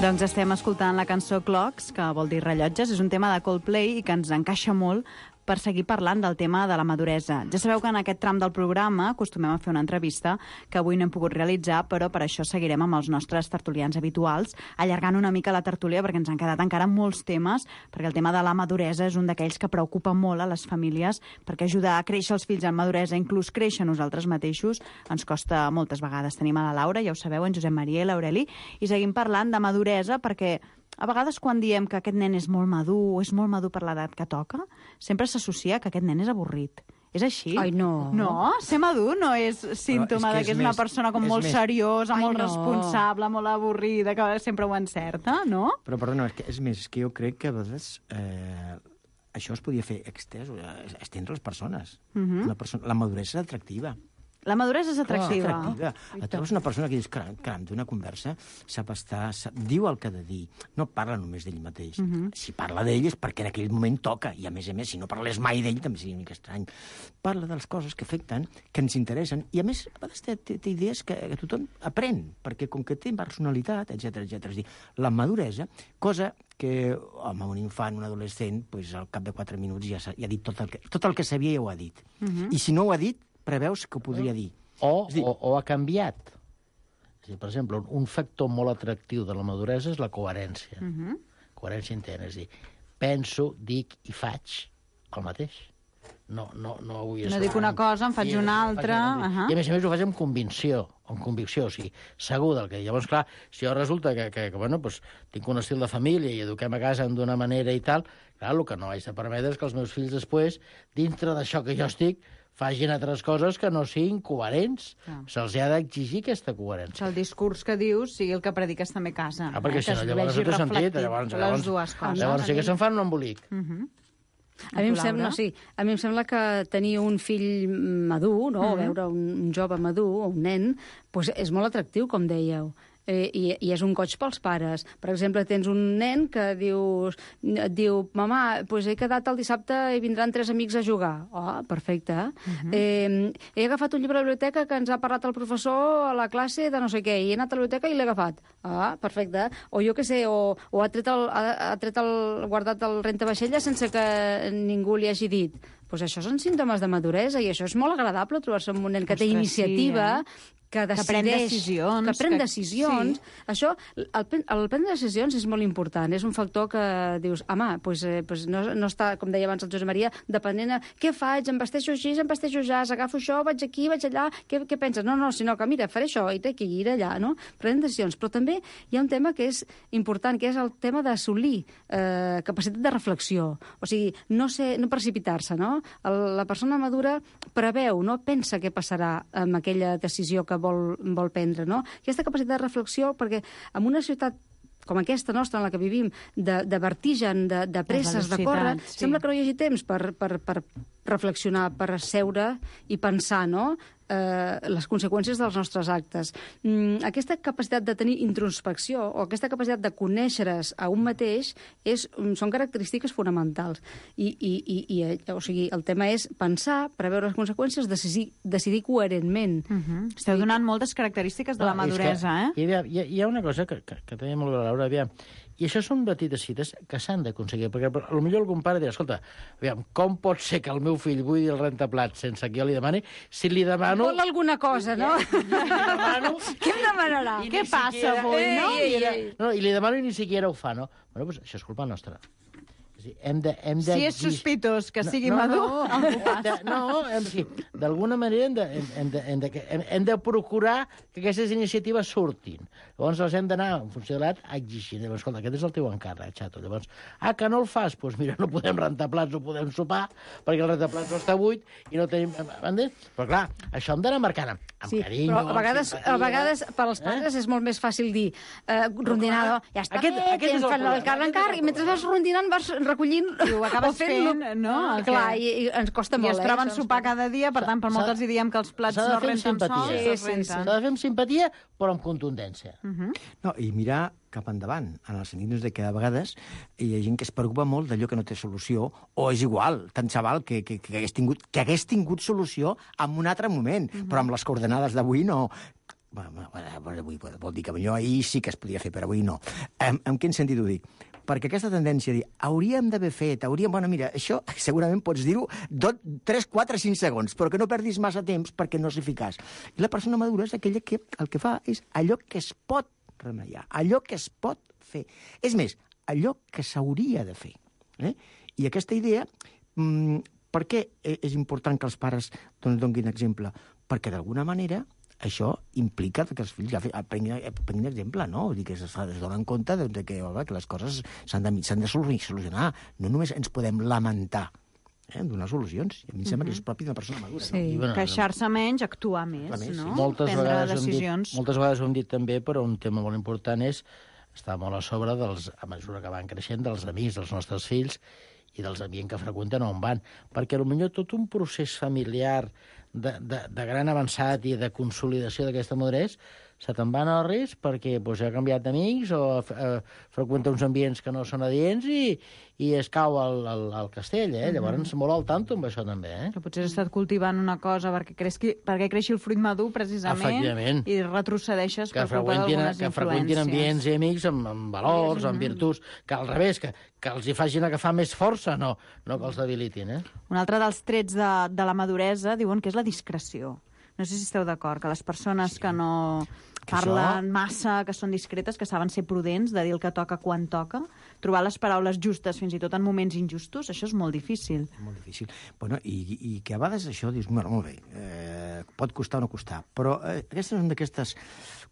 Doncs estem escoltant la cançó Clocks, que vol dir rellotges. És un tema de Coldplay i que ens encaixa molt per seguir parlant del tema de la maduresa. Ja sabeu que en aquest tram del programa acostumem a fer una entrevista que avui no hem pogut realitzar, però per això seguirem amb els nostres tertulians habituals, allargant una mica la tertúlia perquè ens han quedat encara molts temes, perquè el tema de la maduresa és un d'aquells que preocupa molt a les famílies, perquè ajudar a créixer els fills en maduresa, inclús créixer nosaltres mateixos, ens costa moltes vegades. Tenim a la Laura, ja ho sabeu, en Josep Maria i l'Aureli, i seguim parlant de maduresa perquè a vegades quan diem que aquest nen és molt madur per l'edat que toca, sempre s'associa que aquest nen és avorrit. És així? Ai, no. No? Ser madur no és símptoma que és una persona com molt seriosa, molt responsable, molt avorrida, que sempre ho encerta, no? Però, perdona, és que jo crec que a vegades això es podia fer estendre les persones. La maduresa és atractiva. La maduresa és atractiva. Tu trobes una persona que dius, caram, d'una conversa sap estar, diu el que ha de dir, no parla només d'ell mateix. Si parla d'ell és perquè en aquell moment toca, i a més, si no parles mai d'ell també seria una mica estrany. Parla de les coses que afecten, que ens interessen, i a més, a vegades té idees que tothom aprèn, perquè com que té personalitat, etc. És dir, la maduresa, cosa que, home, un infant, un adolescent, al cap de 4 minuts ja ha dit tot el que sabia ja ho ha dit. I si no ho ha dit, preveus que ho podria dir. O ha canviat. Per exemple, un factor molt atractiu de la maduresa és la coherència. Coherència interna, és a dir, penso, dic i faig el mateix. No dic una cosa, en faig una altra. I a més ho faig amb convicció, o sigui, segur del que... Llavors, clar, si jo resulta que tinc un estil de família i eduquem a casa d'una manera i tal, clar, el que no haig de permetre és que els meus fills després, dintre d'això que jo estic, facin altres coses que no siguin coherents. Se'ls ha d'exigir aquesta coherència. Que el discurs que dius sigui el que prediques també a casa. Perquè si no, llavors no té sentit. Llavors sí que se'n fan un embolic. A mi em sembla que tenir un fill madur, no? O veure un jove madur, o un nen, és molt atractiu, com dèieu. I és un goig pels pares. Per exemple, tens un nen que et diu, mamà, he quedat el dissabte i vindran 3 amics a jugar. Perfecte. He agafat un llibre a la biblioteca que ens ha parlat el professor a la classe de no sé què, i he anat a la biblioteca i l'he agafat. Perfecte. O jo què sé, o ha guardat el rentavaixella sense que ningú li hagi dit. Això són símptomes de maduresa i això és molt agradable trobar-se amb un nen que té iniciativa, que decideix, que pren decisions. Això, el prendre decisions és molt important. És un factor que dius, home, no està, com deia abans el Josep Maria, depenent de què faig, em vesteixo així, em vesteixo ja, agafo això, vaig aquí, vaig allà, què penses? No, sinó que mira, faré això, i té que ir allà, no? Prenen decisions. Però també hi ha un tema que és important, que és el tema d'assolir capacitat de reflexió. O sigui, no precipitar-se, no? La persona madura preveu, no? Pensa què passarà amb aquella decisió que vol prendre, no? Aquesta capacitat de reflexió, perquè en una ciutat com aquesta nostra, en la que vivim, de vertigen, de presses, de córrer, sembla que no hi hagi temps per reflexionar, per seure i pensar, no?, les conseqüències dels nostres actes. Aquesta capacitat de tenir introspecció o aquesta capacitat de conèixer-es a un mateix són característiques fonamentals. O sigui, el tema és pensar, preveure les conseqüències, decidir coherentment. Esteu donant moltes característiques de la maduresa, eh? Hi ha una cosa que també molt bé, Laura, aviam. I això són petites cites que s'han d'aconseguir, perquè potser algun pare dirà, escolta, aviam, com pot ser que el meu fill vull el rentaplats sense que jo li demani, si li demano... Vol alguna cosa, no? Què em demanarà? Què passa avui, no? I li demano i ni siquiera ho fa, no? Bueno, doncs això és culpa nostra. Si és sospitós que sigui madur, d'alguna manera hem de procurar que aquestes iniciatives surtin. Llavors les hem d'anar, en funció de l'edat, exigint. Escolta, aquest és el teu encàrrec, xato. Llavors, que no el fas? Doncs mira, no podem rentar plats, no podem sopar, perquè el rentar plats no està buit i no tenim... Però clar, això hem d'anar marcant amb carinyo. Però a vegades per als pares és molt més fàcil dir rondinado, ja està bé, tens l'encàrrec, i mentre vas rondinant vas recollint i ho acabes fent, no? Clar, i ens costa molt. I es troben sopar cada dia, per tant, per molt que els diem que els plats no renten sols, es renten. S'ha de fer amb simpatia, però amb contundència. No, i mirar cap endavant, en el sentit de que a vegades hi ha gent que es preocupa molt d'allò que no té solució, o és igual, tant se val que hagués tingut solució en un altre moment, però amb les coordenades d'avui no... Avui vol dir que jo ahir sí que es podia fer, però avui no. En quin sentit ho dic? perquè aquesta tendència a dir hauríem d'haver fet, bueno, mira, això segurament pots dir-ho 3, 4, 5 segons, però que no perdis massa temps perquè no és eficaç. I la persona madura és aquella que el que fa és allò que es pot remeiar, allò que es pot fer. És més, allò que s'hauria de fer. I aquesta idea, per què és important que els pares donguin exemple? Perquè d'alguna manera això implica que els fills prenguin exemple, no? Vull dir que es donen compte que les coses s'han de solucionar. No només ens podem lamentar donar solucions. I a mi em sembla que és propi d'una persona madura. Sí, queixar-se menys, actuar més, no? Moltes vegades ho hem dit també, però un tema molt important és estar molt a sobre, a mesura que van creixent, dels amics dels nostres fills i dels ambients que freqüenten on van. Perquè potser tot un procés familiar de gran avançat i de consolidació d'aquesta maduresa se te'n van al risc perquè ha canviat d'amics o freqüenta uns ambients que no són adients i es cau al castell. Llavors, molt al tanto amb això també. Que potser has estat cultivant una cosa perquè creixi el fruit madur, precisament, i retrocedeixes per culpa d'algunes influències. Que freqüentin ambients i amics amb valors, amb virtuts, que al revés, que els hi facin agafar més força, no que els debilitin. Un altre dels trets de la maduresa diuen que és la discreció. No sé si esteu d'acord, que les persones que no parlen massa, que són discretes, que saben ser prudents, de dir el que toca quan toca, trobar les paraules justes fins i tot en moments injustos, això és molt difícil. Molt difícil. Bueno, i que a vegades això dius, bueno, molt bé, pot costar o no costar, però aquestes són d'aquestes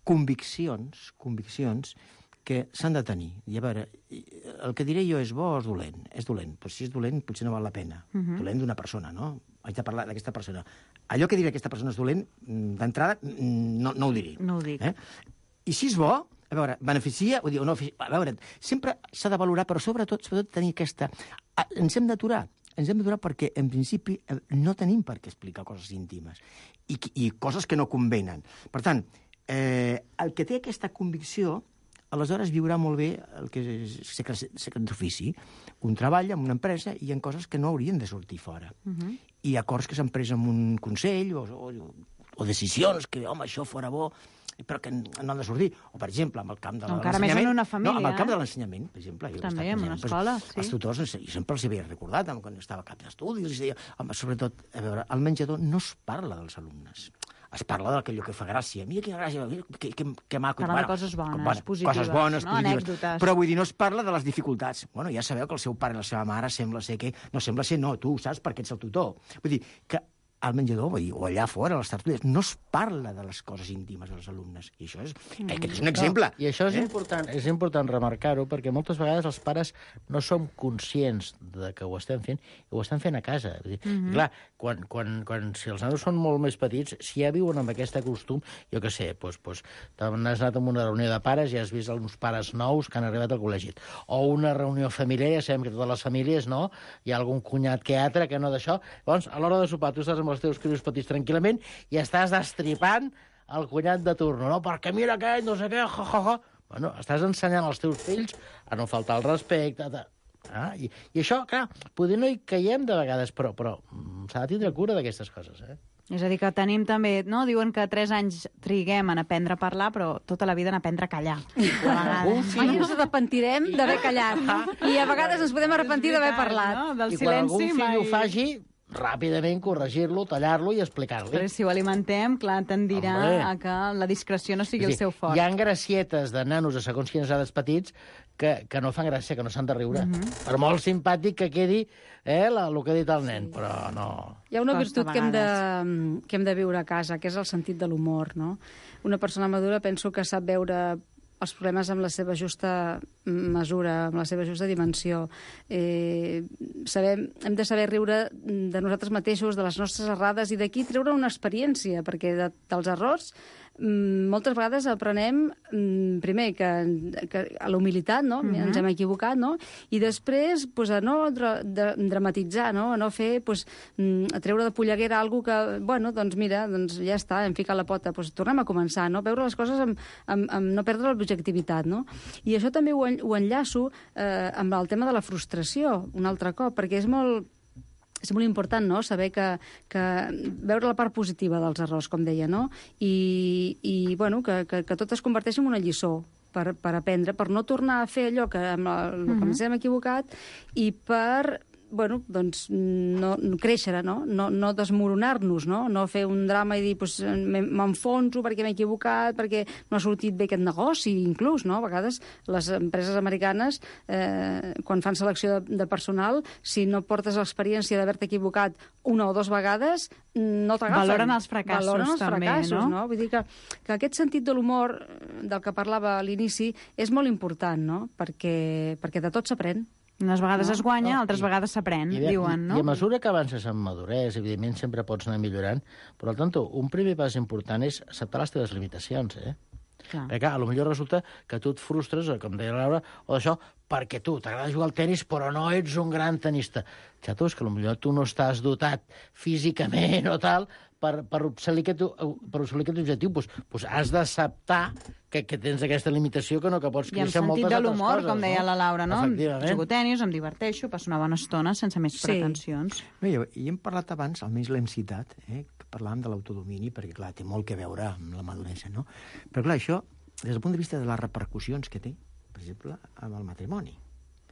conviccions que s'han de tenir. I a veure, el que diré jo és bo o és dolent? És dolent. Però si és dolent, potser no val la pena. Dolent d'una persona, no? Haig de parlar d'aquesta persona. Allò que diré aquesta persona és dolent, d'entrada, no ho diré. No ho dic. I si és bo, a veure, beneficia, o no, a veure, sempre s'ha de valorar, però sobretot tenir aquesta... Ens hem d'aturar perquè, en principi, no tenim per què explicar coses íntimes i coses que no convenen. Per tant, el que té aquesta convicció aleshores viurà molt bé el que és secret d'ofici. Un treballa en una empresa i hi ha coses que no haurien de sortir fora. I acords que s'han pres en un consell o decisions que, home, això fora bo, però que no han de sortir. O, per exemple, amb el camp de l'ensenyament... Encara més en una família. No, amb el camp de l'ensenyament, per exemple. També, en una escola, sí. Els tutors, jo sempre els havia recordat, quan estava a cap d'estudi, els deia, home, sobretot, a veure, al menjador no es parla dels alumnes. Es parla d'allò que fa gràcia. Mira quina gràcia, que maco. Parla de coses bones, positives, coses bones, no? positives. Anècdotes. Però vull dir, no es parla de les dificultats. Bueno, ja sabeu que el seu pare i la seva mare sembla ser que... No sembla ser, no, tu saps perquè ets el tutor. Vull dir, que al menjador, o allà fora, a les tertúlies, no es parla de les coses íntimes dels alumnes. I això és un exemple. I això és important remarcar-ho, perquè moltes vegades els pares no som conscients de que ho estem fent, i ho estem fent a casa. Vull dir, clar, si els nanos són molt més petits, si ja viuen amb aquest costum, jo què sé, doncs has anat a una reunió de pares i has vist uns pares nous que han arribat al col·legi. O una reunió familiar, ja sabem que totes les famílies, no? Hi ha algun cunyat que altre que no d'això. Llavors, a l'hora de sopar, tu estàs amb els teus crios petits tranquil·lament i estàs destripant el cunyat de turno, no? Perquè mira aquell, no sé què, Bueno, estàs ensenyant als teus fills a no faltar el respecte. I això, clar, potser no hi caiem de vegades, però s'ha de tindre cura d'aquestes coses, És a dir, que tenim també, no? Diuen que 3 anys triguem en aprendre a parlar, però tota la vida en aprendre a callar. Mai ens arrepentirem d'haver callat. I a vegades ens podem arrepentir d'haver parlat. No? Del I quan algun silenci fill ho faci, ràpidament corregir-lo, tallar-lo i explicar-li. Però si ho alimentem, clar, tendirà a que la discreció no sigui el seu fort. Hi ha gracietes de nanos a segons quines edats petits que no fan gràcia, que no s'han de riure. Per molt simpàtic que quedi el que ha dit el nen, però no... Hi ha una virtut que hem de viure a casa, que és el sentit de l'humor, no? Una persona madura penso que sap veure els problemes amb la seva justa mesura, amb la seva justa dimensió. Hem de saber riure de nosaltres mateixos, de les nostres errades, i d'aquí treure una experiència, perquè dels errors moltes vegades aprenem, primer, que a la humilitat, no? Ens hem equivocat, no? I després, a no dramatitzar, no? A no fer, a treure de polleguera alguna que, bueno, doncs mira, ja està, hem ficat la pota, tornem a començar, no? Veure les coses amb no perdre l'objectivitat, no? I això també ho enllaço amb el tema de la frustració, un altre cop, perquè és molt important, no?, saber que veure la part positiva dels errors, com deia, no? I bueno, que tot es converteix en una lliçó. per aprendre, per no tornar a fer allò que ens hem equivocat i per no créixer, no desmoronar-nos, no fer un drama i dir m'enfonso perquè m'he equivocat, perquè no ha sortit bé aquest negoci, inclús, no? A vegades les empreses americanes, quan fan selecció de personal, si no portes l'experiència d'haver-te equivocat una o dues vegades, no t'agafen. Valoren els fracassos, també, no? Vull dir que aquest sentit de l'humor del que parlava a l'inici és molt important, no? Perquè de tot s'aprèn. Unes vegades es guanya, altres vegades s'aprèn, diuen, no? I a mesura que avances en maduresa, evidentment sempre pots anar millorant, però, al tanto, un primer pas important és acceptar les teves limitacions, Clar. Perquè, clar, potser resulta que tu et frustres, com deia la Laura, o d'això, perquè tu t'agrada jugar al tenis, però no ets un gran tenista. Xato, és que potser tu no estàs dotat físicament o tal per assolir aquest objectiu. Doncs has d'acceptar que tens aquesta limitació, que pots créixer moltes altres coses. I amb sentit de l'humor, com deia la Laura, no? Efectivament. Jugo tenis, em diverteixo, passo una bona estona sense més pretensions. I hem parlat abans, almenys l'hem citat, que parlàvem de l'autodomini, perquè, clar, té molt que veure amb la maduresa, no? Però, clar, això, des del punt de vista de les repercussions que té, per exemple, amb el matrimoni.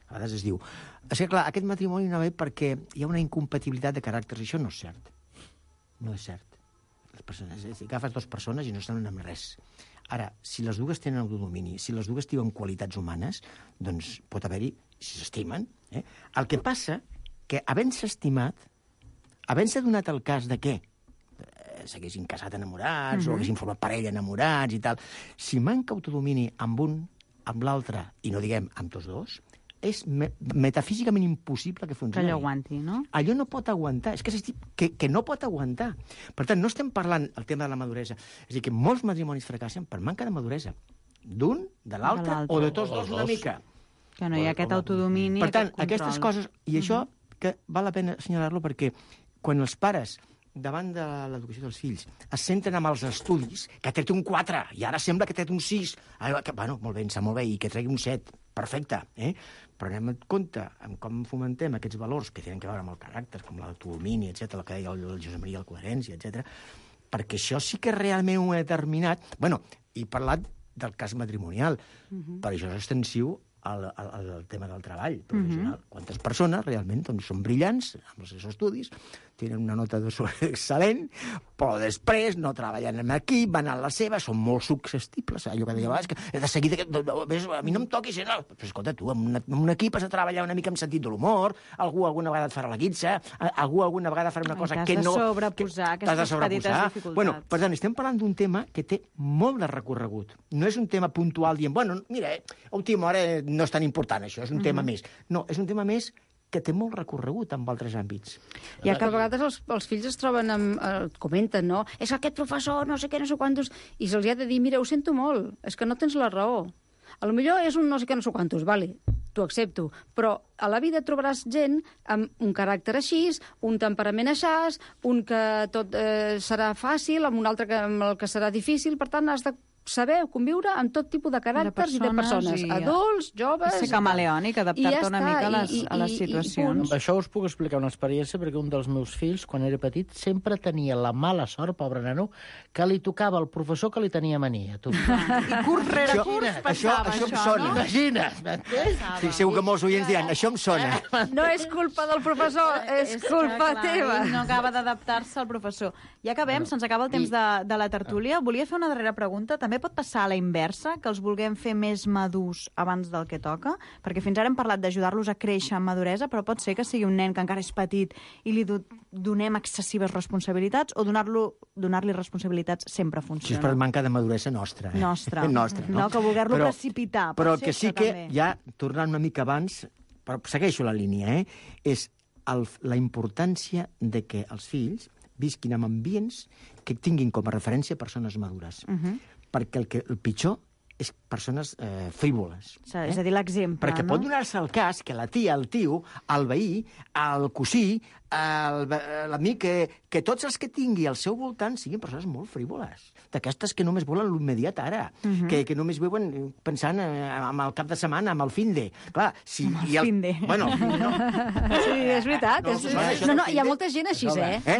A vegades es diu, és que, clar, aquest matrimoni no ve perquè hi ha una incompatibilitat de caràcters, i això no és cert. No és cert. Les persones, agafes dues persones i no estan amb res. Ara, si les dues tenen autodomini, si les dues tenen qualitats humanes, doncs pot haver-hi, si s'estimen. El que passa que, havent-se estimat, havent-se donat el cas de què s'haguessin casat enamorats o haguessin format parella enamorats i tal, si manca autodomini amb un, amb l'altre, i no diguem amb tots dos, és metafísicament impossible que funcioni. Que allò aguanti, no? Allò no pot aguantar. És que no pot aguantar. Per tant, no estem parlant el tema de la maduresa. És a dir, que molts matrimonis fracassen per manca de maduresa. D'un, de l'altre, o de tots dos una mica. Que no hi ha aquest autodomini, per tant, aquestes coses... I això que val la pena assenyalar-lo perquè quan els pares, davant de l'educació dels fills, es centren amb els estudis, que ha tret un 4, i ara sembla que ha tret un 6. Bueno, molt bé, em sap molt bé, i que tregui un 7. Perfecte, Però anem en compte amb com fomentem aquests valors que tenen a veure amb el caràcter, com l'autodomini, etc., el que deia el Josep Maria, la coherència, etc., perquè això sí que realment ho he determinat. Bueno, he parlat del cas matrimonial, però això és extensiu al tema del treball professional. Quantes persones realment són brillants amb els seus estudis, tenen una nota de excel·lent, però després no treballen en equip, van a la seva, són molt successibles. Allò que deia abans, que de seguida, a mi no em toquis, no. Però escolta, tu, en un equip has de treballar una mica amb sentit de l'humor, algú alguna vegada et farà la guitza, algú alguna vegada farà una cosa que no... T'has de sobreposar aquestes petites dificultats. Bueno, per tant, estem parlant d'un tema que té molt de recorregut. No és un tema puntual dient, bueno, mira, a última hora no és tan important això, és un tema més. No, és un tema més que té molt recorregut en altres àmbits. I que a vegades els fills es troben comenten, no? És aquest professor, no sé què, no sé quantos... I se'ls ha de dir, mira, ho sento molt, és que no tens la raó. A lo millor és un no sé què, no sé quantos, vale, t'ho accepto, però a la vida trobaràs gent amb un caràcter així, un temperament així, un que tot serà fàcil, amb un altre amb el que serà difícil, per tant, has de saber conviure amb tot tipus de caràcters i de persones, adults, joves... Ser camaleònic, adaptar-te una mica a les situacions. Amb això us puc explicar una experiència, perquè un dels meus fills, quan era petit, sempre tenia la mala sort, pobre nano, que li tocava el professor que li tenia mania. I curs rere curs passava això. Això em sona. Imagina't! Sí, segur que molts oients diran, això em sona. No és culpa del professor, és culpa teva. No acaba d'adaptar-se al professor. Ja acabem, se'ns acaba el temps de la tertúlia. Volia fer una darrera pregunta. També pot passar a la inversa, que els vulguem fer més madurs abans del que toca? Perquè fins ara hem parlat d'ajudar-los a créixer en maduresa, però pot ser que sigui un nen que encara és petit i li donem excessives responsabilitats, o donar-li responsabilitats sempre funciona? Si és per manca de maduresa nostra. Nostra. No, que voler-lo precipitar. Però el que sí que, ja tornant una mica abans, però segueixo la línia, és la importància de que els fills visquin en ambients que tinguin com a referència persones madures. Perquè el pitjor és persones frívoles. És a dir, l'exemple, perquè pot donar-se el cas que la tia, el tio, el veí, el cosí, l'amic, que tots els que tingui al seu voltant siguin persones molt frívoles. D'aquestes que només volen l'immediat ara, que només viuen pensant en el cap de setmana, amb el finde. Clar, si... finde. Bueno, no. Sí, és veritat. No, hi ha molta gent així,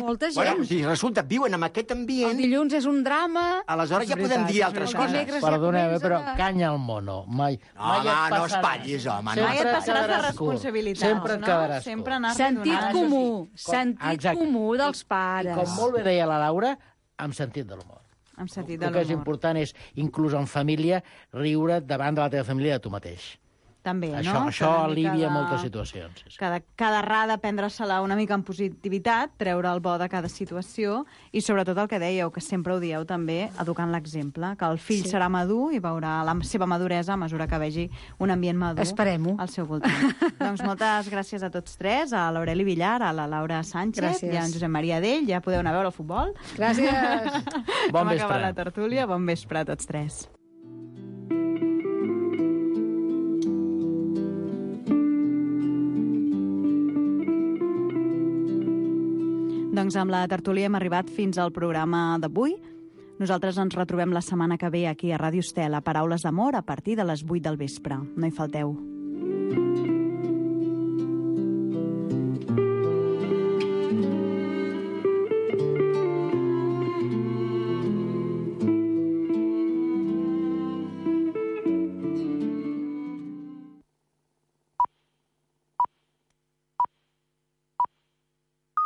Molta gent. Bueno, si resulta, viuen en aquest ambient... El dilluns és un drama... Aleshores ja podem dir altres coses. Perdoneu, però canya al mono. Mai no espatllis, home. Mai et passaràs de responsabilitats, Sempre et quedaràs curt. Sempre anar sentit comú dels pares. I com molt bé deia la Laura, amb sentit de l'humor. Amb sentit El de que és l'humor. important és, inclús en família, riure davant de la teva família de tu mateix. També, Això no? alivia moltes situacions. Sí. Cada errada, prendre-se-la una mica en positivitat, treure el bo de cada situació i sobretot el que dèieu, que sempre ho dieu també, educant l'exemple, que el fill serà madur i veurà la seva maduresa a mesura que vegi un ambient madur al seu voltant. Doncs moltes gràcies a tots tres, a l'Aureli Villar, a la Laura Sánchez i a en Josep Maria Dell. Ja podeu anar a veure el futbol. Gràcies. Bon vespre. Hem acabat la tertúlia. Bon vespre a tots tres. Doncs amb la tertúlia hem arribat fins al programa d'avui. Nosaltres ens retrobem la setmana que ve aquí a Ràdio Estel a Paraules d'Amor a partir de les 8 del vespre. No hi falteu.